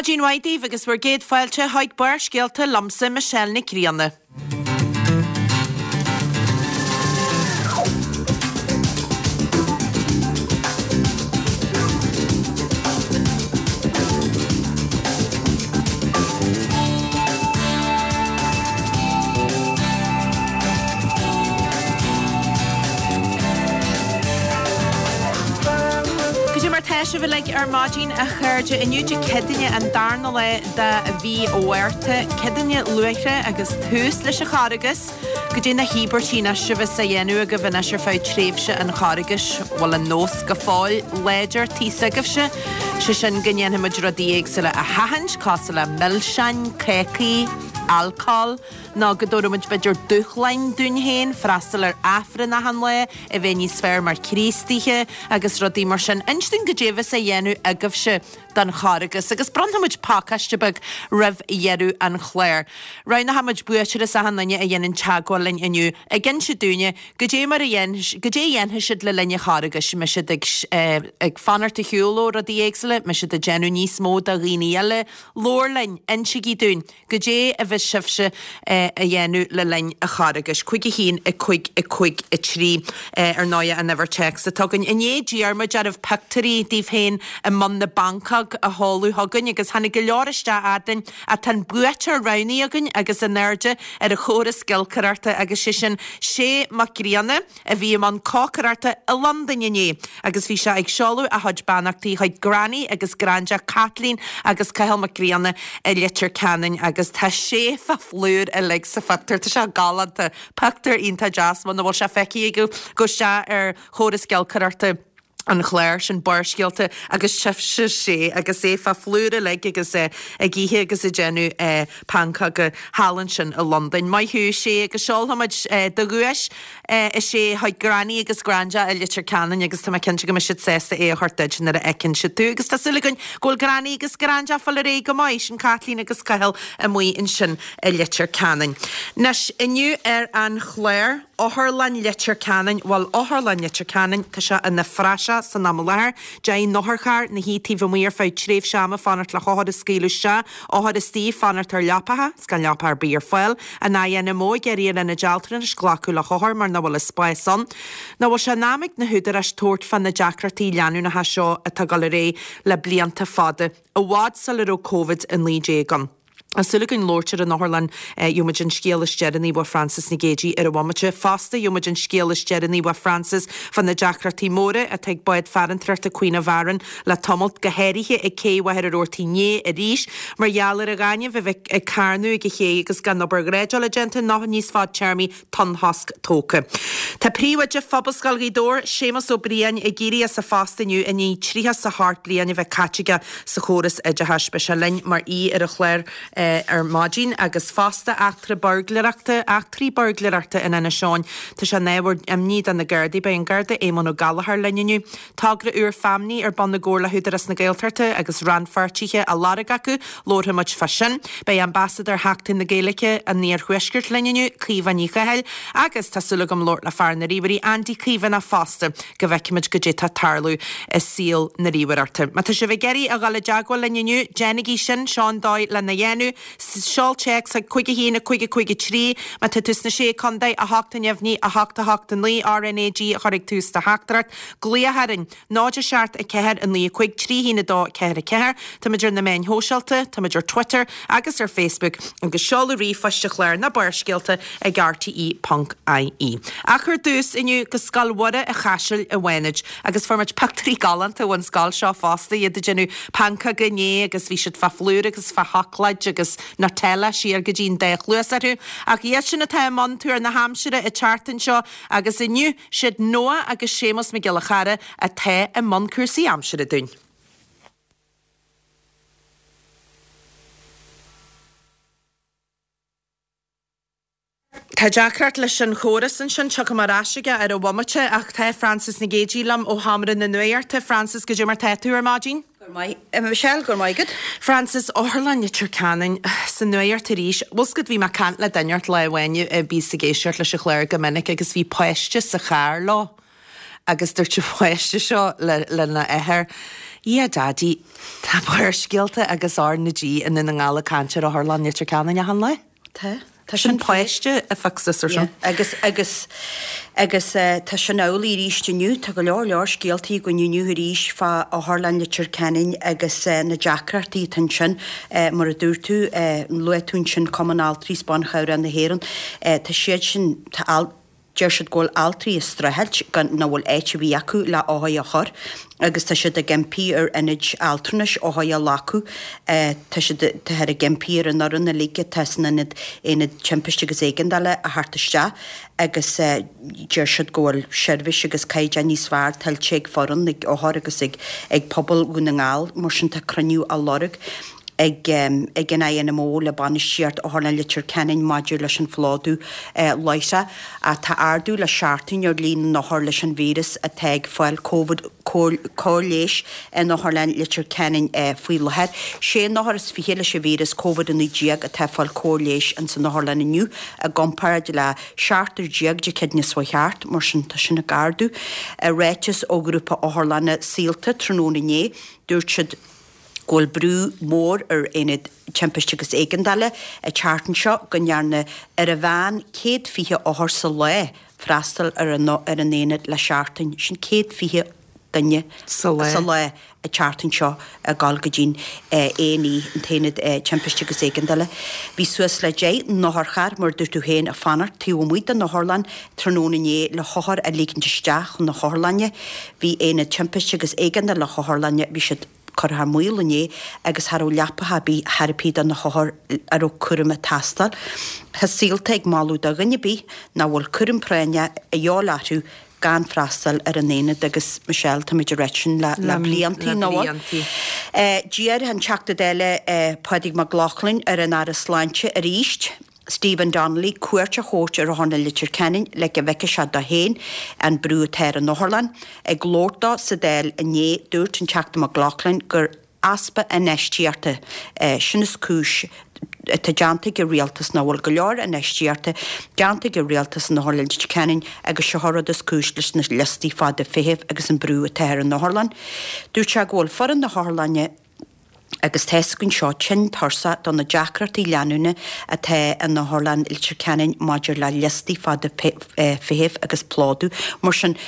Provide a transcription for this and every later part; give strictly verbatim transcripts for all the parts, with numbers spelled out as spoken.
Maidin mhaith daoibh agus bhur gcéad fáilte chuig Barrscéalta liomsa Michelle Nic Grianna. Goidé mar tá sibh uilig ar maidin a chairde inniu Dé Céadaoine an darna lá de mhí Mhárta, Céadaoine Luaithre agus tús leis an Charghas. Goidé na híobairtí anois a bheas á dhéanamh agaibh anois ar feadh tréimhse an Charghais. Bhfuil an nós go fóill láidir taobh s'agaibhse? Sé sin go ndéanfaidh muid rudaí éagsúla a sheachaint, cosúil le milseáin, cácaí, alcól, nó go dtabharfaidh muid b'fhéidir dúshláin dúinn féin, freastal ar Aifreann achan lá, a bheith níos fearr mar Chríostaithe agus rudaí mar sin. Inis dúinn goidé a bheas á dhéanamh agaibhse don Charghas agus bronnfaidh muid pacáiste beag roimh dheireadh an chláir. Roghnóidh muid buaiteoir as achan duine a dhéanann teagmháil linn inniu ag inse dúinne goidé mar a dhéan, goidé a dhéanfaidh siad le linn an Charghais, mbeidh siad ag, ag fanacht ar shiúl ó rudaí éagsúla, mbeidh siad ag déanamh níos mó do dhaoine eile. Labhair linn, insigí dúinn goidé a bheas sibhse a dhéanamh le linn an Charghais. Cúig a haon, a cúig, a cúig, a trí, ar ndóigh an uimhir téacs atá againn. Inné d'iarr muid oraibh pictiúirí daoibh féin i mbun na bpancóg a sheoladh chugainn agus tháinig go leor isteach a'dainn ach tá an buaiteoir roghnaithe againn agus in airde ar an chóras giolcaireachta agus sé sin Sé Mac Grianna a bhí i mbun cócaireachta i Londain inné agus bhí sé ag seoladh a chuid beannachtaí chuig Granny agus Granda Kathleen agus Cathal Mac Grianna i Leitir Ceanainn agus tá sé fá phlúr uilig sa phictiúr. Tá sé galánta. Pictiúr iontach deas muna bhfuil sé feicthe agaibh gabh isteach ar chóras giolcaireachta an chláir sin Barrscéalta agus tchífidh sibh Sé agus é fá phlúr uilig agus é ag ithe agus ag déanamh pancóga thall ansin i Londain. Maith thú Sé agus seolfaimid do dhuais a Shé chuig Granny agus Granda i Leitir Ceanainn agus tá mé cinnte go mbeidh siad sásta é a thabhairt duit nuair a fheiceann siad tú agus tá súil againn go bhfuil Granny agus Granda ag fáil ar aghaidh go maith, sin Kathleen agus Cathal amuigh ansin i Leitir Ceanainn. Anois inniu ar an chlár, Otharlann Leitir Ceanainn, bhuel Otharlann Leitir Ceanainn, tá sé ina phraiseach san am i láthair. Deich n-otharcharr ina shuí taobh amuigh ar feadh tréimhse ama fanacht le hothair a scaoileadh isteach, othair istigh fanacht ar leapacha, 's gan leapa ar bith ar fáil. An INMO ag iarraidh ar ionaid altranais glacadh le hothair mar nach bhfuil an spás ann. Nach bhfuil sé in am ag na húdaráis tabhairt fá na deacrachtaí leanúnacha seo atá ag dul ar aghaidh le blianta fada, i bhfad sula raibh Covid a naoi déag ann. Tá súil againn labhairt ar an otharlann, gheobhaidh muid an scéal is deireanaí uaidh Frances Nic Géadaigh ar an bhomaite. Fosta, gheobhaidh muid an scéal is deireanaí uaidh Frances fá na deacrachtaí móra atá ag bád farantóireachta Queen of Aran le tamalt, go háirithe ag cé Mhachaire Rabhartaigh inné arís, mar gheall ar an ghaineamh a bheith ag carnadh ag an ché agus gan obair dhreideála déanta nó níos fadtéarmaí tonnchosc tógtha. Tá príomhoide Phobalscoil Ghaoth Dobhair, Séamus Ó Briain, ag éirí as a phost inniu i ndiaidh tríocha 's a hocht bliain a bheith caite aige sa chóras oideachais. Beidh sé linn mar aoi ar an chlár ar maidin agus fosta eachtra buirgléireachta, eachtraí buirgléireachta in Inis Eoghain. Tá sé ina ábhar imní do na Gardaí. Beidh an Garda Éamonn Ó Gallchóir linn inniu. Togra úr Famni ar bun i gcomhar le hÚdarás na Gaeltachta agus rannpháirtithe á lorg acu. Labharfaidh muid fá sin. Beidh Ambasadóir Sheachtain na Gaeilge an Iarthuaiscirt linn inniu, Caoimhe Ní Chathail, agus tá súil agam labhairt le fear na ríomhairí, Andy Caomhánach fosta, go bhfeicfimid goidé tá ag tarlú i saol na ríomhaireachta. Má tá sibh ag iarraidh a dhul i dteagmháil linn inniu, déanaigí sin, seo an dóigh lena dhéanamh. Seol téacs chuig cúig a haon a cúig a cúig a trí má tá tú sna Sé Contae, a hocht a neamhní, a hocht a hocht a naoi, RnaG a chur ag tús do theachtaireacht. Glaoch orainn, náid a seacht a ceathair a naoi a cúig trí haon a dó ceathair a ceathair. Táimid ar na meáin shóisialta, táimid ar Twitter agus ar Facebook agus seoladh ríomhphoist an chláir ná Barrscéalta ag rte ponc ie. Ach ar dtús inniu go Scoil Mhuire an Chaisil i bhFánaid agus fuair muid pictiúirí galánta ón scoil seo fosta, iad ag déanamh pancóga inné agus bhí siad fá phlúr agus fá sheacláid agus Nutella siar go dtí an dá chluas orthu. Ach iad sin atá i mbun tuar na haimsire an tseachtain seo agus inniu, siad Noah agus Séamus Mac Giolla Chara atá i mbun cúrsaí aimsire dúinn. Tá deacracht leis an chóras ansin, tiocfaidh mé ar ais aige ar an bhomaite, ach tá Frances Nic Géadaigh liom ó Sheomra na Nuachta. Frances, goidé mar tá tú ar maidin? Go raibh maith, a Michelle, go raibh maith agat. Frances, Otharlann Leitir Ceanainn sa nuacht arís. Bhfuil 's agat, bhí mé ag caint le duine ort lá amháin a bhíos ag éisteacht leis an chlár go minic agus bhí páiste sa charr leo. Agus dúirt an páiste seo le lena athair, Yeah Daddy, tá Barrscéalta agus R na G i nDún na nGall ag caint ar Otharlann Leitir Ceanainn achan lá. Tá. Tá sin páiste a fixas ar sin. Agus agus agus tá sin amhlaidh arís inniu, tá go leor leor scéaltaí againn inniu arís fá Otharlann Leitir Ceanainn agus na deacrachtaí atá ansin. Mar a dúirt tú, luaigh tú ansin Cumann Altraí is Ban Chabhrach na hÉireann, tá siad sin, tá deir siad go bhfuil altraí ag streachailt gan nach bhfuil áit ar bith acu le othair a chur agus tá siad ag impí ar ionaid altranais othair a ghlacadh. Tá siad táthar ag impí ar an fhoireann uilig atá san ionad aonad timpiste agus éigeandála a theacht isteach agus deir siad go bhfuil seirbhís agus caighdeán níos fearr tuillte ag foireann, ag othair agus ag ag pobal Dhún na nGall. Mar sin tá cruinniú á lorg. ag ag an INMO le bainistíocht Otharlann Leitir Ceanainn maidir leis an phlódú láithreach. Tá ardú le seachtain ar líon na n-othar leis an víreas atá ag fáil Covid cóir leighis in Otharlann Leitir Ceanainn faoi láthair. Sé n-othar is fiche leis an víreas Covid a naoi déag atá ag fáil cóir leighis ins an otharlann inniu i gcomparáid le seachtar déag Dé Céadaoine seo chuaigh thart, mar sin tá sin ag ardú. I ráiteas ó ghrúpa otharlanna Saolta tráthnóna inné, dúirt siad, go bhfuil brú mór ar Aonad Timpiste agus Éigeandála an tseachtain seo go ndearna ar an mheán céad fiche othar sa lá freastal ar an ar an aonad le seachtain. Sin céad fiche duine Sa lá. sa lá an tseachtain seo ag dul go dtí'n A and E, an tAonad Timpiste agus Éigeandála. Bhí suas le deich n-otharcharr, mar a dúirt tú féin, ag fanacht taobh amuigh den otharlann tráthnóna inné le hothair a ligint isteach chun na hotharlainne. Bhí Aonad Timpiste agus Éigeandála na hotharlainne, bhí siad curtha thar maoil inné agus cha raibh leapacha ar bith chor ar bith do na hothair a raibh cúram ag teastáil. Tá Saolta ag moladh do dhuine ar bith nach bhfuil cúram práinneach a dhíobháil orthu gan freastal ar an aonad agus Michelle táimid ag ráit sin le le bliantaí Le nó bliantaí. D'iarr an Teachta Dála Pádraig Mac Lochlainn ar an Aire Sláinte arís, Stephen Donnelly cuairt a thabhairt ar Otharlann Leitir Ceanainn le go bhfeicfeadh sé dó féin an brú atá ar an otharlann. Ag labhairt dó sa Dáil inné, dúirt an Teachta Mac Lochlainn gur easpa infheistíochta sin is cúis atá déanta ag an rialtas nach bhfuil go leor infheistíochta déanta ag an rialtas in Otharlann Leitir Ceanainn agus seo an rud is cúis leis na liostaí fada feithimh agus an brú atá ar an otharlann. Dúirt sé go bhfuil foireann na hotharlainne Agus tá a fhios againn seo tinn tuirseach do na deacrachtaí leanúna atá in Otharlann Leitir Ceanainn maidir le liostaí fada feithimh agus plódú. Mar sin,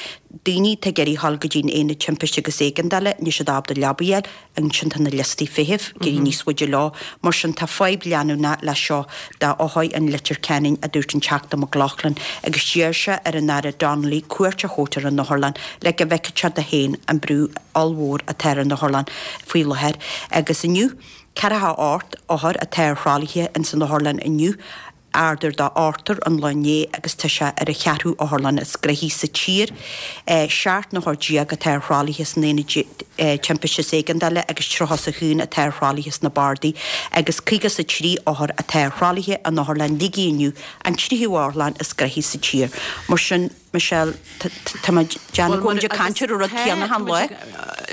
daoine atá ag iarraidh a dhul go dtí'n Aonad Timpiste agus Éigeandála, níl siad ábalta leaba a fháil, ansin tá na liostaí feithimh ag éirí níos faide leo. Mar sin, tá fadhb leanúnach le seo d'othair in Leitir Ceanainn, a dúirt an Teachta Mac Lochlainn, agus d'iarr sé ar an Aire Donnelly cuairt a thabhairt ar an otharlann le go bhfeicfeadh sé dó féin an brú ollmhór atá ar an otharlann faoi láthair agus inniu, ceathracha ocht othar atá ar thralaithe ins an otharlann inniu, ardú de ochtar ón lá inné agus tá sé ar an cheathrú otharlann is gnoithí sa tír. Seacht n-othar déag atá ar thralaithe san aonad timpiste is éigeandála agus tríocha is a haon atá ar thralaithe sna bardaí agus caoga is a trí othar atá ar thralaithe in Otharlann Shligigh inniu, an tríú otharlann is gnoithí sa tír. Mar sin, Michelle, tá mé ag déanamh go bhfuil muid ag caint ar an rud céanna achan lá.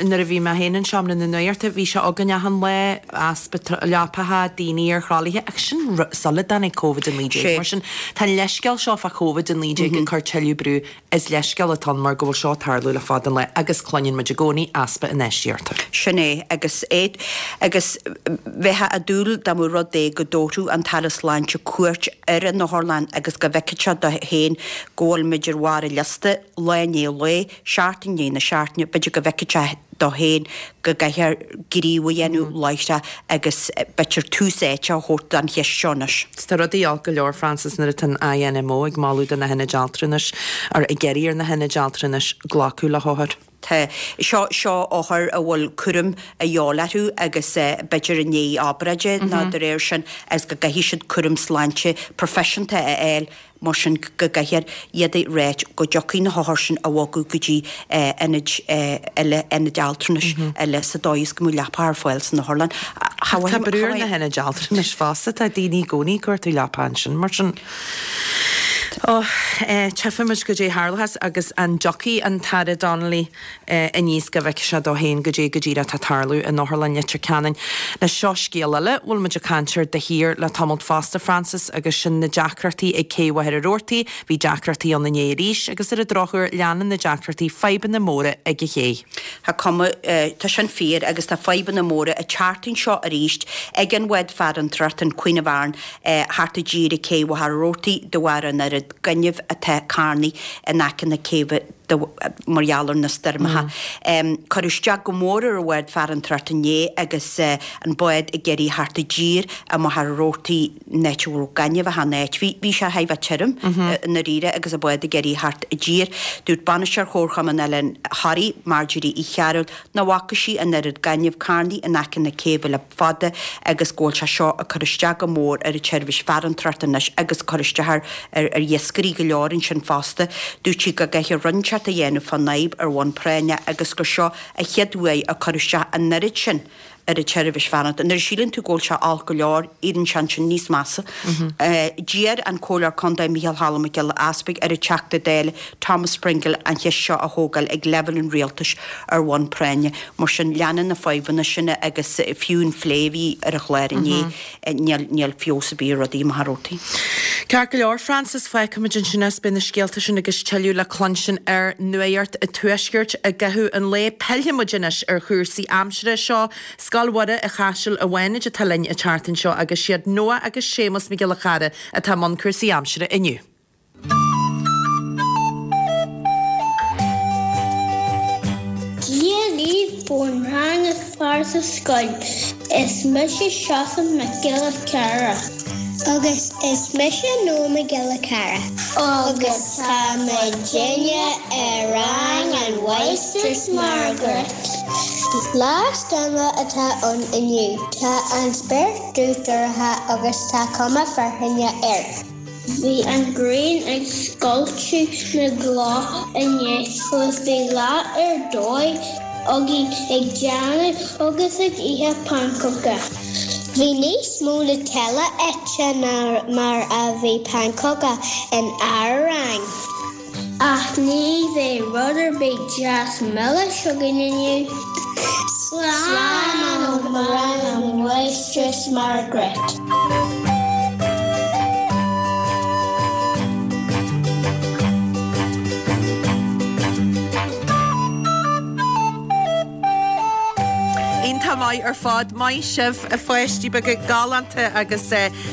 Nuair a bhí mé féin in seomra na nuachta, bhí sé againn achan lá, easpa leapacha, daoine ar thralaithe, ach sin sula dtáinig Covid a naoi déag. Mar sin, tá an leithscéal seo fá Covid a naoi déag ag cur tuilleadh brú, is leithscéal atá ann mar go bhfuil seo ag tarlú le fada an lá agus cluineann muid i gcónaí easpa infheistíochta. Sin é, agus é, agus bheifeá ag dúil dá mba rud é go dtabharfadh an tAire Sláinte cuairt ar an otharlann agus go bhfeicfeadh sé dó féin go bhfuil muid ar bharr an liosta, lá i ndiaidh lae, seachtain i ndiaidh na seachtaine, b'fhéidir go bhfeicfeadh sé dó féin go gcaithfear gníomh a dhéanamh láithreach agus b'fhéidir tús áite a thabhairt don cheist seo anois. Tá rudaí olc go leor, Frances, nuair atá an INMO ag moladh do na hionaid altranais, or ag iarraidh ar na hionaid altranais glacadh le hothair. Tá. Seo, seo othair a bhfuil cúram a dhíobháil orthu agus b'fhéidir i ndiaidh obráide nó de réir sin agus go gcaithfidh siad cúram sláinte proifisiúnta a fháil mar sin go gcaithfear iad a ráit go dtiocfaidh na hothair sin a bhogadh go dtí ionaid eile, ionaid altranais eile sa dóigh is go mbeadh leapa ar fáil san otharlann. Tá brú ar na hionaid altranais fosta, tá daoine i gcónaí ag cuartú leapa ansin mar sin. Ó, Tchífimid goidé a tharlós agus an dtiocfaidh an tAire Donnelly aníos go bhfeicfidh sé dó féin goidé go díreach atá ag tarlú in Otharlann Leitir Ceanainn. Anois seo scéal eile, bhfuil muid ag caint air de shíor le tamalt fosta, Frances, agus sin na deacrachtaí ag Cé Mhachaire Rabhartaigh. Bhí deacrachtaí ann inné arís agus ar an drochuair leanann na deacrachtaí fadhbanna móra ag an ché. Tá cuma, tá sin fíor agus tá fadhbanna móra ag teacht anseo arís ag an bhád farantóireachta an Queen of Aran thart i dtír ag Cé Mhachaire Rabhartaigh de bharr an oiread gainimh atá carnaithe in aice na céibhe mar gheall ar na stoirmeacha. Cuireadh isteach go mór ar an bhád farantóireachta inné agus an bád ag iarraidh theacht i dtír i Machaire Rabhartaigh in áit a raibh gaineamh achan áit. Bhí bhí sé thar a bheith tirim i ndáiríre agus an bád ag iarraidh theacht i dtír. Dúirt bainisteoir Chomharchumann Oileán Thoraí, Marjorie Uí Chearúil, nach bhfaca sí an oiread gainimh carnaithe in aice na céibhe le fada agus go bhfuil sé seo ag cur isteach go mór ar an tseirbhís farantóireachta anois agus ag cur isteach ar ar iascairí go leor ansin fosta. Dúirt sí go gcaithfear rud inteacht a dhéanamh fán fhadhb ar bhonn práinne agus gur seo an chéad uair a cuireadh isteach an oiread sin ar an tseirbhís farantóireachta. Nuair a síleann tú go bhfuil sé olc go leor, éiríonn sé ansin níos measa. D'iarr an Comhairleoir Contae Micheál Cholm Mac Giolla Easpaig ar an Teachta Dála Thomas Pringle an cheist seo a thógáil ag leibhéal an rialtais ar bhonn práinne. Mar sin, leanann na fadhbanna sin agus fiú an phlé a bhí ar an chlár inné, níl feabhas ar bith ar rudaí i Machaire Rabhartaigh. Ceart go leor, Frances, fágfaimid ansin é is beidh na scéalta sin agus tuilleadh le cluinstin ar Nuacht an Tuaiscirt i gcaitheamh an lae. Pillfidh muid anois ar chúrsaí aimsire. Seo Scoil Mhuire an Chaisil i bhFánaid atá linn an tseachtain seo agus siad Noah agus Séamus Mac Giolla Chara atá i mbun cúrsaí aimsire inniu. Dia daoibh ón rang is fearr sa scoil. Is mise Seosamh Mac Giolla Chearra. Agus is mise Noah Mac Giolla Chearra. Agus tá muidinne i rang an Mháistreás Margaret. Lá stoirmeach atá ann inniu. Tá an spéir dubh dorcha agus tá cuma fearthainne air. Bhí an ghrian ag scoilteadh na gcloch inné agus bhí lá ar dóigh againn ag déanamh agus ag ithe pancóga. Bhí níos mó Nutella ite ná mar a bhí pancóga in ár rang. Ach ní bheidh rud ar bith deas milis againn inniu. Slán ó rang an Mháistreás Margaret. Iontach maith ar fad. Maith sibh, a pháistí beaga galánta agus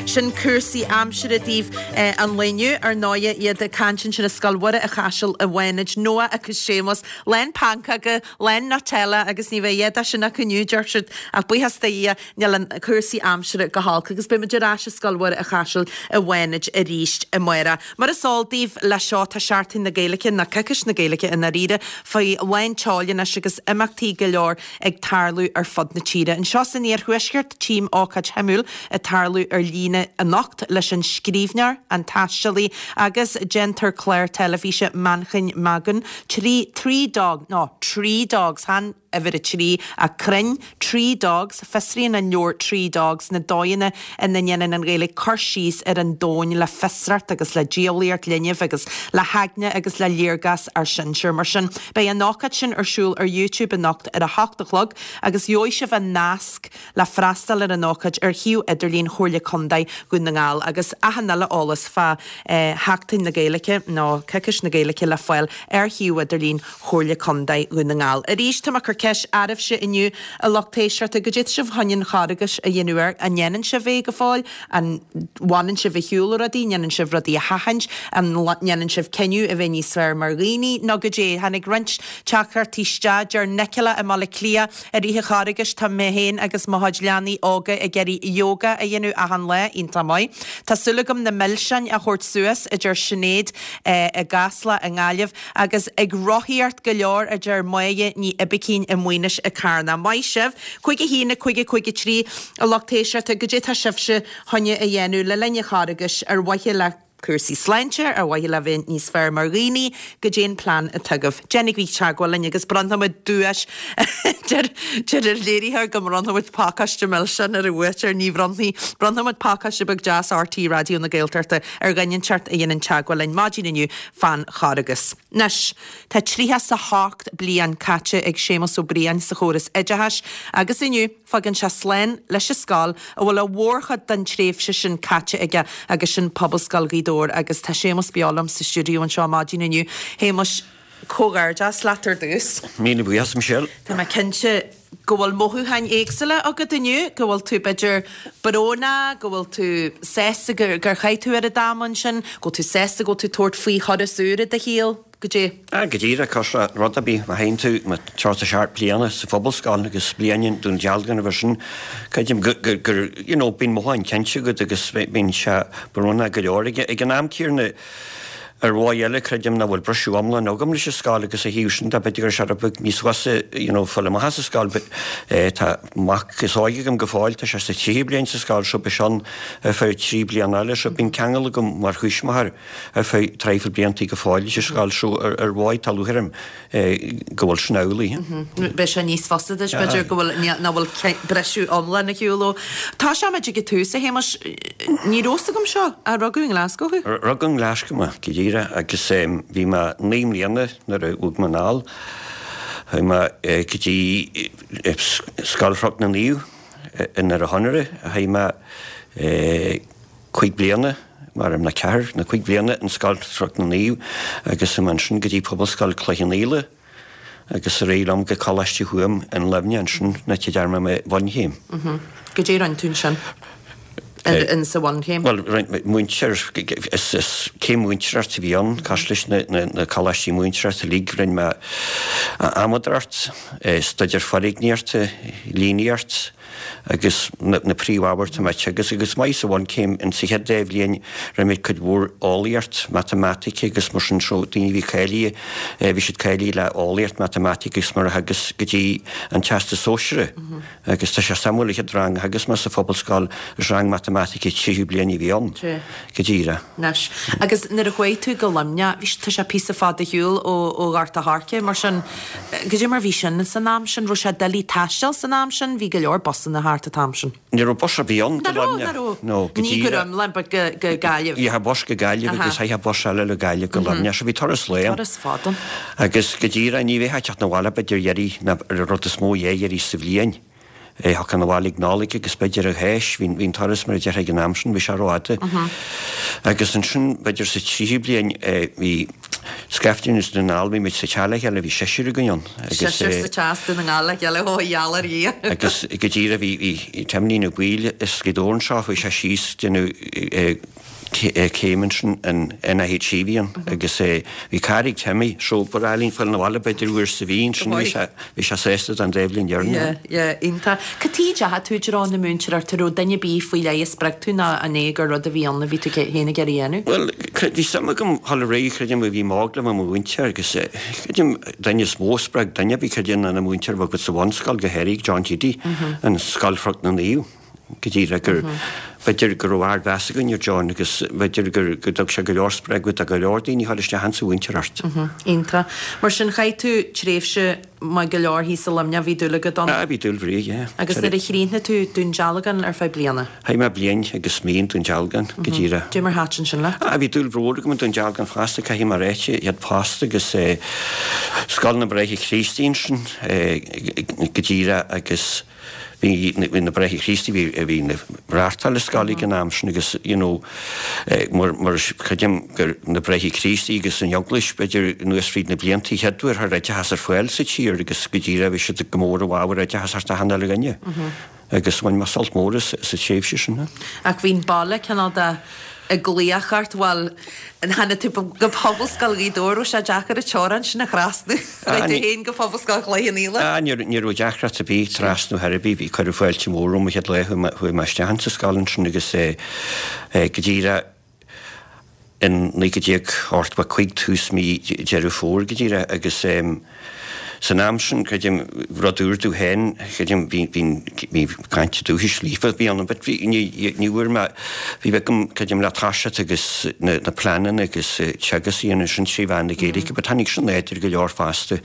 sin cúrsaí aimsire daoibh an lae inniu. Ar ndóighe, iad ag caint ansin i Scoil Mhuire an Chaisil i bhFánaid, Noah agus Séamus, lán pancóga, lán Nutella agus ní bheidh a dhath de sin acu inniu, deir siad, ach buíochas do Dhia, níl an cúrsaí aimsire go holc agus beidh muid ar ais i Scoil Mhuire an Chaisil i bhFánaid arís amárach. Mar is eol daoibh, leis seo tá Seachtain na Gaeilge, nó Coicís na Gaeilge i ndáiríre, faoi lán tseoil anois agus imeachtaí go leor ag tarlú ar fud na tíre. Anseo san iarthuaisceart, tchím ócáid shuimiúil ag tarlú ar líne anocht leis an scríbhneoir, an taistealaí agus déantóir clár teilifíse Manchain Magan, trí Three Dog, no, Tree Dogs, chan uimhir a trí ach crainn, Tree Dogs, fiosraíonn an leabhar Tree Dogs na dóigheanna ina ndéanann an Ghaeilge cur síos ar an domhan le fiosracht agus le diabhlaíocht linbh agus le heagna agus le léargas ár sinsear. Mar sin, beidh an ócáid sin ar siúl ar YouTube anocht ar a hocht a chlog agus gheobhaidh sibh an nasc le freastal ar an ócáid ar shuíomh idirlín Chomhairle Contae Dhún na nGall agus achan uile eolas fá Sheachtain na Gaeilge nó Coicís na Gaeilge le fáil ar shuíomh idirlín Chomhairle Contae Dhún na nGall. Arís, tá mé ag cur ceist oraibhse inniu, a lucht éisteachta, goidé tá sibh chun an Charghais a dhéanamh air? An ndéanann sibh é go fóill? An bhfanann sibh ar shiúl ó rudaí? An ndéanann sibh rudaí a sheachaint? An ndéanann sibh cinneadh a bheith níos fearr mar dhaoine? Nó goidé? Tháinig roinnt teachtaireachtaí isteach. Deir Nicola i mBaile Átha Cliath, I rith an Charghais, tá mé féin agus mo chuid leanaí óga ag iarraidh yoga a dhéanamh achan lá. Iontach maith. Tá súil agam na milseáin a thabhairt suas, a deir Sinéad i gCasla i nGaillimh. Agus ag rothaíocht go leor, a deir Máire Ní Oibicín i Maínis i Carna. Maith sibh. Cúig a haon, a cúig, a cúig a trí, a lucht éisteachta, goidé tá sibhse chun a dhéanamh le linn an Charghais ar mhaithe le cúrsaí sláinte, ar mhaithe le bheith níos fearr mar dhaoine, goidé an plean atá agaibh. Déanaigí teagmháil linn agus bronnfaimid duais deir deir an léiritheoir go mbronnfaimid pacáiste milseán ar an bhuaiteoir ní bhronnfaidh bronnfaimid pacáiste beag deas RTÉ Raidió na Gaeltachta ar dhuine inteacht a dhéanann teagmháil linn maidin inniu fán Charghas. Anois, tá tríocha 's a hocht bliain caite ag Séamus Ó Briain sa chóras oideachais agus inniu fágann sé slán leis an scoil a bhfuil a mhórchuid den tréimhse sin caite aige agus sin Pobalscoil Ghaoth Dobhair agus tá Séamus beo liom sa stiúideo anseo maidin inniu. Shéamuis, comhghairdeas leat ar dtús. Míle buíochas Michelle. Tá mé cinnte go bhfuil mothúcháin éagsúla agat inniu, go bhfuil tú b'fhéidir brónach, go bhfuil tú sásta gur gur chaith tú an t-am ansin, go bhfuil tú sásta go bhfuil tú tabhairt faoi thuras úr i do shaol, goidé. Ah, go díreach cos rud a bí má théann tú má tríocha a seacht bliana sa phobalscoil agus bliain i nDún Dealgan roimhe sin, creidim gur gur you know bíonn mothúcháin cinnte agat agus bíonn sé brónach go leor ag ag an am céanna ar mhodh eile creidim nach bhfuil briseadh iomlán agam leis an scoil agus a thaobh sin de b'fhéidir gur sé rud beag níos fusa you know fáil amach as an scoil but eh, tá mac is óige agam go fóill tá sé sa tríú bliain sa scoil seo beidh sé ann ar feadh trí bliana eile so bíonn ceangal agam mar thuismitheoir ar feadh traidhfil blianta go fóill leis an scoil seo ar ar mhodh tá lúcháir orm eh, go bhfuil sin amhlaidh. Beidh sé níos fusa duit b'fhéidir go bhfuil nach bhfuil briseadh iomlán ar shiúl ó. Tá sé muid ag tús a Shéamuis ní raibh a fhios agam seo a rugadh i nGlasgow thú? Rugadh i nGlasgow mé go díreach agus bhí mé naoi mbliana nuair a bhog mé anall. Chuaigh mé go dtí Scoil Chnoc na Naomh i nDoire Chonaire. Chaith mé cúig bliana mar na ceathair na cúig bliana in Scoil Chnoc na Naomh agus chuaigh mé ansin go dtí Pobalscoil Chloich Cheann Fhaola agus ar aghaidh liom go Coláiste Thuaim in Luimneach ansin na te dear mé bhunchéim. Goidé a rinne tú ansin in sa bhunchéim? Well múinteoir is is céim múinteoireacht a bhí ann cosúil leis na na coláistí múinteoireachta uilig rinne mé adhmadóireacht, staidéar foirgníochta, líníocht agus na na príomhábhair atá mé ag teagasc agus maith sa bhunchéim in sa chéad dá bhliain rinne mé cuid mhór eolaíocht, matamaitic agus mar sin so daoine a bhí cáilithe bhí siad cáilithe le eolaíocht, matamaitic agus mar a theagasc go dtí an Teastas Sóisearach agus tá sé suimiúil an chéad rang a theagasc mé sa phobalscoil is rang matamaitice tríú bliain a bhí ann go díreach. Anois. Agus nuair a chuaigh tú go Luimneach, bhí tá sé píosa fada ar shiúl ó ó Ghort a' Choirce mar sin goidé mar bhí sin san am sin, raibh sé doiligh taisteal san am sin, bhí go leor busanna thart an t-am sin. Ní raibh bus ar bith ann go Nach raibh, Luimneach. nach raibh. No, go Ní go díreach. iomlán, but go go Gaillimh. Bhí bus go Gaillimh agus chaithfeá bus eile le Gaillimh go Luimneach, so bhí turas lae ann. Turas fada. Agus go díreach ní bheifeá ag teacht 'na bhaile b'fhéidir iarraidh na ar rud is mó dhá iarraidh sa bhliain. Thiocfá 'na bhaile ag Nollaig agus b'fhéidir ar Cháisc, bhí an turas mar a déarfá ag an am sin, bhí sé rófhada. Agus ansin b'fhéidir sa tríú bliain bhí scaifte as Dún na nGall, bhí muid sa teach le chéile, bhí seisear againn ann. Seisear sa teach as Dún na nGall le chéile, ó gheall ar Dhia. Agus go díreach bhí bhí Timlín Ó Baoill as Gaoth Dobhair anseo, chuaigh sé síos déanamh céim ansin in NIHE bhí ann agus bhí carr ag Timmy so ba ghnách linn fáil 'na bhaile b'fhéidir uair sa mhí ansin bhí sé bhí sé sásta don dá bhliain dheireanach. Yeah, yeah, iontach. Cad chuige a ndeachaigh tú i dtreo na múinteoireachta, raibh duine ar bith faoi leith a spreag tú nó an é gur rud a bhí ann a bhí tú féin ag iarraidh a dhéanamh? Bhuel, bhí suim agam dhul ar aghaidh, creidim bhí mé óg le bheith i mo mhúinteoir agus creidim duine is mó a spreag duine ar bith creidim ná na múinteoir a bhí agat sa bhunscoil go háirithe John Keady, an Scoil Chnoc na Naomh. Go díreach gur b'fhéidir go raibh ardmheas againn ar John agus b'fhéidir gur go dtug sé go leor spreagadh do go leor daoine a chuir isteach insa mhúinteoireacht. Iontach. Mar sin chaith tú tréimhse maith go leor thíos i Luimneach, bhí dúil agat ann? Ah, bhí dúil bhreá, yeah. Agus nuair a chríochnaigh tú Dún Dealgan ar feadh bliana? Chaith mé bliain agus mí in Dún Dealgan, go díreach. Dé mar thaitin sin leat? Ah, bhí dúil mhór agam in Dún Dealgan fosta, caithfidh mé a ráit, iad post agus eh, Scoil na mBráithre Críostaí ansin eh, go díreach agus bhí bhí na Bráithre Críostaí bhí bhí na reáchtáil an scoil ag an am sin agus you know mar mar creidim gur na Bráithre Críostaí agus an Eaglais b'fhéidir anuas fríd na blianta chéad uair a chuir oideachas ar fáil sa tír agus go díreach bhí siad go mór i bhfabhar oideachas thart achan uile dhuine. Agus bhain mé sult mór as sa tréimhse sin. Ach bhí'n baile cineál de ag glaoch ort, bhuel, tháinig tú go Pobalscoil Ghaoth Dobhair, raibh sé deacair an teorainn sin a thrasnú, chuaigh tú féin go Pobalscoil Chloich Cheann Fhaola. Ah, ní ní raibh deacracht ar bith trasnú ar bith, bhí cuireadh fáilte mhór romham an chéad lá chuaigh mé chuaigh mé isteach insa scoil ansin agus eh, eh, go díreach in naoi déag ochtó a cúig tús mí Deireadh Fómhair go díreach agus em, San am sin, creidim, rud úr domh féin, creidim, bhí, bhí, bhí caint dúchais líofa a bhí ann, but bhí, ní, ní bhfuair mé, bhí bheith agam, creidim, le toiseacht agus na, na pleananna agus teagasc a dhéanamh sin trí mheán na Gaeilge, but tháinig sin láidir go leor fosta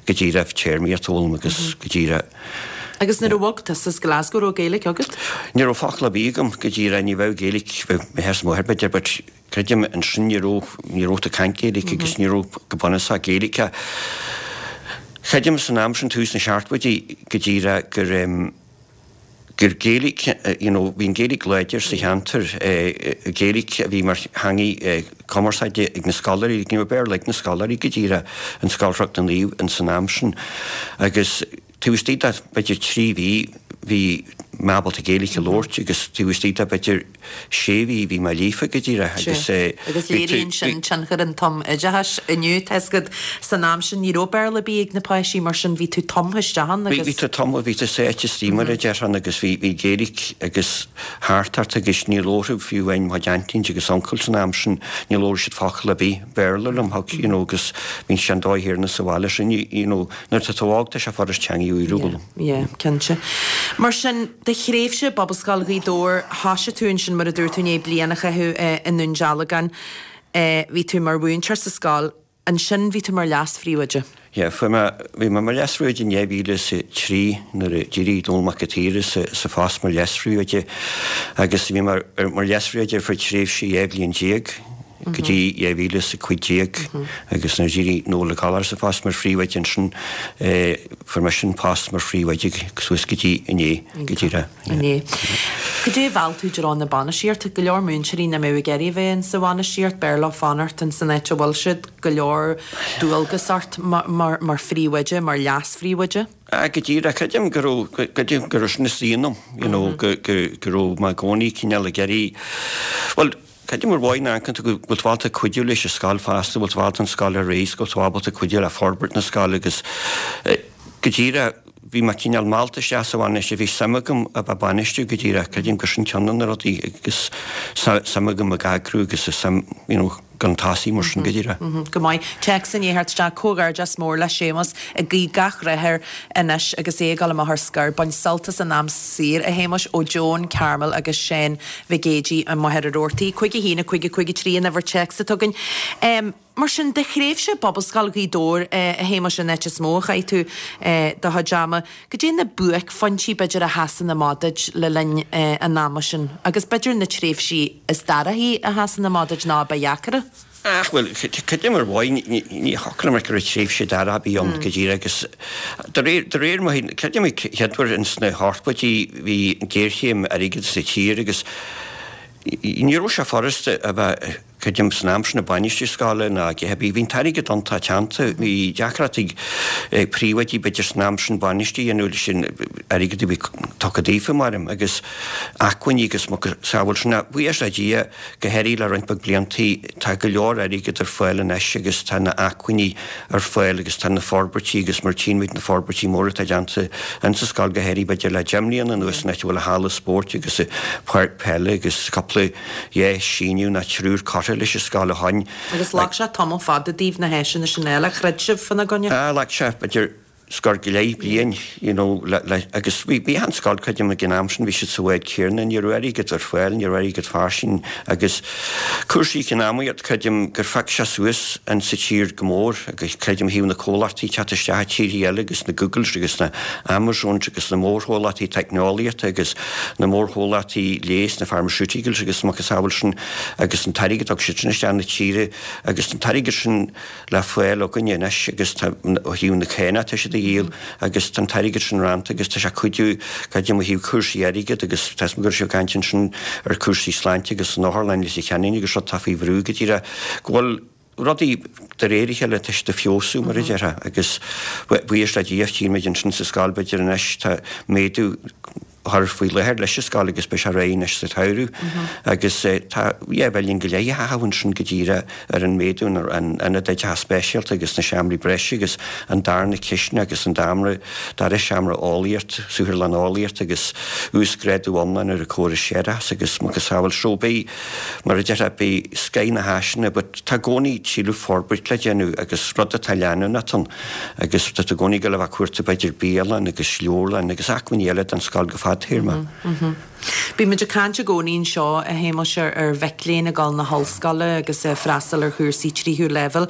go díreach téarmaíocht a fhoghlaim agus go díreach. Agus nuair a bhog tusa as Glasgow raibh Gaeilge agat? Ní raibh focal ar bith agam go díreach, ní bheadh Gaeilge, bheadh m'athair is máthair b'fhéidir, but creidim ansin ní raibh, ní raibh tú ag caint Gaeilge agus ní raibh go bunúsach Gaeilge. Creidim san am sin tús na seachtóidí go díreach gur em, gur Gaeilge, you know, bhí an Gaeilge láidir sa cheantar, Gaeilge a bhí mar theanga cumarsáide ag na scoláirí, ní raibh Béarla ag na scoláirí go díreach in Scoil Chnoc na Naomh in san am sin. Agus taobh istigh de b'fhéidir trí mhí bhí mé ábalta Gaeilge a labhairt agus taobh istigh de b'fhéidir sé mhí bhí mé líofa go díreach agus Agus léiríonn sin tionchar an tumoideachais inniu, tá 'fhios agat san am sin ní raibh Béarla ar bith ag na páistí mar sin bhí tú tumtha isteach ann agus. Bhí tú tumtha, bhí tú sáite istigh mar a déarfá agus bhí bhí Gaeilge agus thart ort agus ní labharfadh fiú amháin mo chuid aintíní agus uncail san am sin, ní labhradh siad focal ar bith Béarla liom, thug, you know, agus bhí sé an dóigh chéanna sa bhaile sin, you know, nuair atá tú óg tá sé furast teanga a fhoghlaim. Yeah, cinnte. Mar sin, do thréimhse i bPobalscoil Ghaoth Dobhair, thoisigh tú ansin mar a dúirt tú i ndiaidh bliain a chaitheamh i nDún Dealgan. Bhí tú mar mhúinteoir sa scoil, ansin bhí tú mar leas-phríomhoide. Yeah, fuair mé, bhí mé mar leas-phríomhoide in dhá mhíle is a trí nuair a d'éirigh Dónall Mac an tSaoir as sa phost mar leas-phríomhoide agus bhí mé mar leas-phríomhoide ar feadh tréimhse dhá bhliain déag. go dtí dhá mhíle is a cúig déag agus nuair a d'éirigh Noel Ó Gallchóir as an phost mar phríomhoide ansin fuair mise an post mar phríomhoide suas go dtí inné, go díreach. Inné. Cad é a mheall tú i dtreo na bainistíochta? Go leor múinteoirí nach mbeadh ag iarraidh a bheith in sa bhainistíocht, b'fhearr leo fanacht in san áit a bhfuil siad, go leor dualgas ort mar mar phríomhoide, mar leas-phríomhoide. Ah, go díreach, creidim go raibh, creidim go raibh sin istigh ionam, you know, go go go raibh mé i gcónaí cineál ag iarraidh, bhuel, Creidim ar mhaith ná go bhfuil tú ábalta cuidiú leis an scoil fosta, bhfuil tú ábalta an scoil a rith, go bhfuil tú ábalta cuidiú le forbairt na scoile agus go díreach bhí mé cineál meallta isteach sa bhainistíocht, bhí suim agam a bheith ag bainistiú go díreach, creidim gur sin ceann de na rudaí agus suim agam ag eagrú agus suim, you know, gan tosaí mar sin go díreach. Go maith. Téacs i ndiaidh theacht isteach, Comhghairdeas mór le Séamus, ag guí gach rath air anois agus é ag dul amach ar scor. Bain sult as an am saor, a Shéamuis, ó Joan, Carmel agus Seán Mhig Éadaigh i Machaire Rabhartaigh. Cúig a haon, a cúig, a cúig a trí an uimhir téacs atá againn. Mar sin, do thréimhse i bPobalscoil Ghaoth Dobhair, a Shéamuis, an áit is mó a chaith tú do chuid ama, goidé na buaicphointí, b'fhéidir, a sheasann amach duit le linn an ama sin, agus b'fhéidir na tréimhsí is dorchaí a sheasann amach duit nó a ba dheacra? Ach, bhuel, creidim ar mhaith, ní thiocfadh liom go raibh tréimhse dorcha ar bith ann go díreach agus de réir, de réir mo, creidim an chéad uair ins na hochtóidí bhí géarchéim airgid sa tír agus ní raibh sé furasta a bheith, Creidim san am sin ag bainistiú scoile ná a dhath ar bith. Bhí an t-airgead iontach teannta. Bhí deacracht ag príomhoidí b'fhéidir san am sin bainistiú a dhéanamh leis an airgead a bhí tugtha daofa, maram, agus acmhainní agus macasamhail sin. Ach buíochas le Dia, go háirithe le roinnt beag bliantaí, tá go leor airgead ar fáil anois agus tá na acmhainní ar fáil agus tá na forbairtí agus mar tchíonn muid na forbairtí móra atá déanta insa scoil go háirithe b'fhéidir le deich mbliana anuas an áit a bhfuil an halla spóirt agus an pháirc peile agus cúpla dhá síneadh nó triúr curtha leis an scoil ó shoin. Agus ghlac sé tamall fada daoibh na háiseanna sin a fháil, ar throid sibh fána gcoinne? Ah, ghlac sé b'fhéidir scór go leith bliain, you know, le, le, agus bhí, bhí an scoil, creidim, ag an am sin, bhí siad sa bhád céanna, ní raibh airgead ar fáil, ní raibh airgead fairsing agus cúrsaí eacnamaíocht, creidim gur phioc sé suas in sa tír go mór agus creidim ó thaobh na comhlachtaí teacht isteach i tíortha eile agus na Googles agus na Amazons agus na mórchomhlachtaí teicneolaíochta agus na mórchomhlachtaí leighis, na pharmaceuticals agus macasamhail sin agus an t-airgead a thug siad sin isteach na tíre agus an t-airgead sin le fáil againne anois agus tá ó thaobh na cánach tá siad a dhíol agus tá an t-airgead sin rannta agus tá sé ag cuidiú creidim ó thaobh cúrsaí airgid agus tá 'fhios a'm go raibh sibh ag caint ansin ar cúrsaí sláinte agus an otharlann i Leitir Ceanainn agus rud atá faoi bhrú go díreach go bhfuil rudaí de réir a chéile tá siad ag feabhsú mar a déarfá agus buíochas le Dia tchíonn muid ansin sa scoil b'fhéidir anois tá méadú chur faoi láthair leis an scoil agus beidh sé réidh anois sa tsamhradh agus tá dhá mhilliún go leith a chaitheamh ansin go díreach ar an méadú ar an ionad oideachais speisialta agus na seomraí breise agus an darna cistin agus an damra dara seomra eolaíocht, saotharlann eolaíocht agus uasghrádú iomlán ar an córas séarachais agus macasamhail. So beidh, mar a déarfá, beidh scoith na háiseanna but tá i gcónaí tuilleadh forbairt le déanamh agus rud atá leanúnach ann agus tá tú i gcónaí ag dul a bheith ag cuartú b'fhéidir bialann agus leabharlann agus acmhainní eile don scoil go fadtéarma. Bíonn muid ag caint i gcónaí anseo, a Shéamais, ar mhic léinn ag dul na hollscoile agus ag freastal ar chúrsaí tríú leibhéal.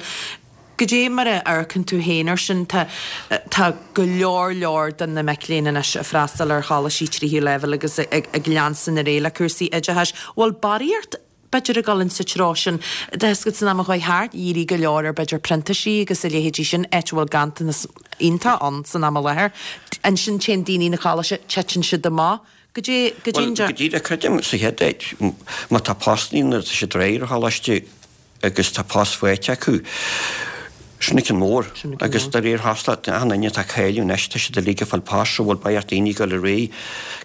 Goidé mar a amharcann tú féin air sin? Tá tá go leor leor de na mic léinn anois ag freastal ar choláistí tríú leibhéal agus ag leanstan ar aghaidh le cúrsaí oideachais. Bhfuil barraíocht b'fhéidir ag dul insa treo sin? Tá a fhios agat san am a chuaigh thart, dhírigh go leor ar b'fhéidir printísigh agus a leithéidí sin, áit a bhfuil ganntanas iontach ann san am i láthair. Ansin téann daoine na coláiste, titeann siad amach. Goidé, goidé an. Bhuel, go díreach, creidim sa chéad áit, má tá postannaí nuair atá siad réidh ar choláiste agus tá post faighte acu, sin an ceann mór. Agus de réir chosúlacht, achan duine atá ag cailleadh anois, tá siad uilig ag fáil post, so bhfuil beidh ar daoine ag dul ar aghaidh.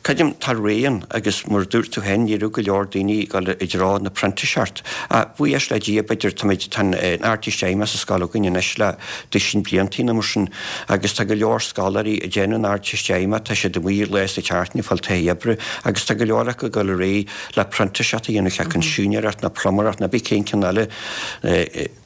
Creidim, tá ré ann agus mar a dúirt tú féin, ní raibh go leor daoine ag dul i dtreo na printíseacht. Ach buíochas le Dia, b'fhéidir, táimid, tá an Ardteist Fheidhmeach sa scoil againn anois le duisín bliantaí nó mar sin agus tá go leor scoláirí ag déanamh an Ardteist Fheidhmeach, tá siad amuigh lá sa tseachtain ag fáil taithí oibre agus tá go leor acu ag dul ar aghaidh le printíseacht a dhéanamh, cé acu an siúinéireacht nó pluiméireacht nó cibé cén ceann eile.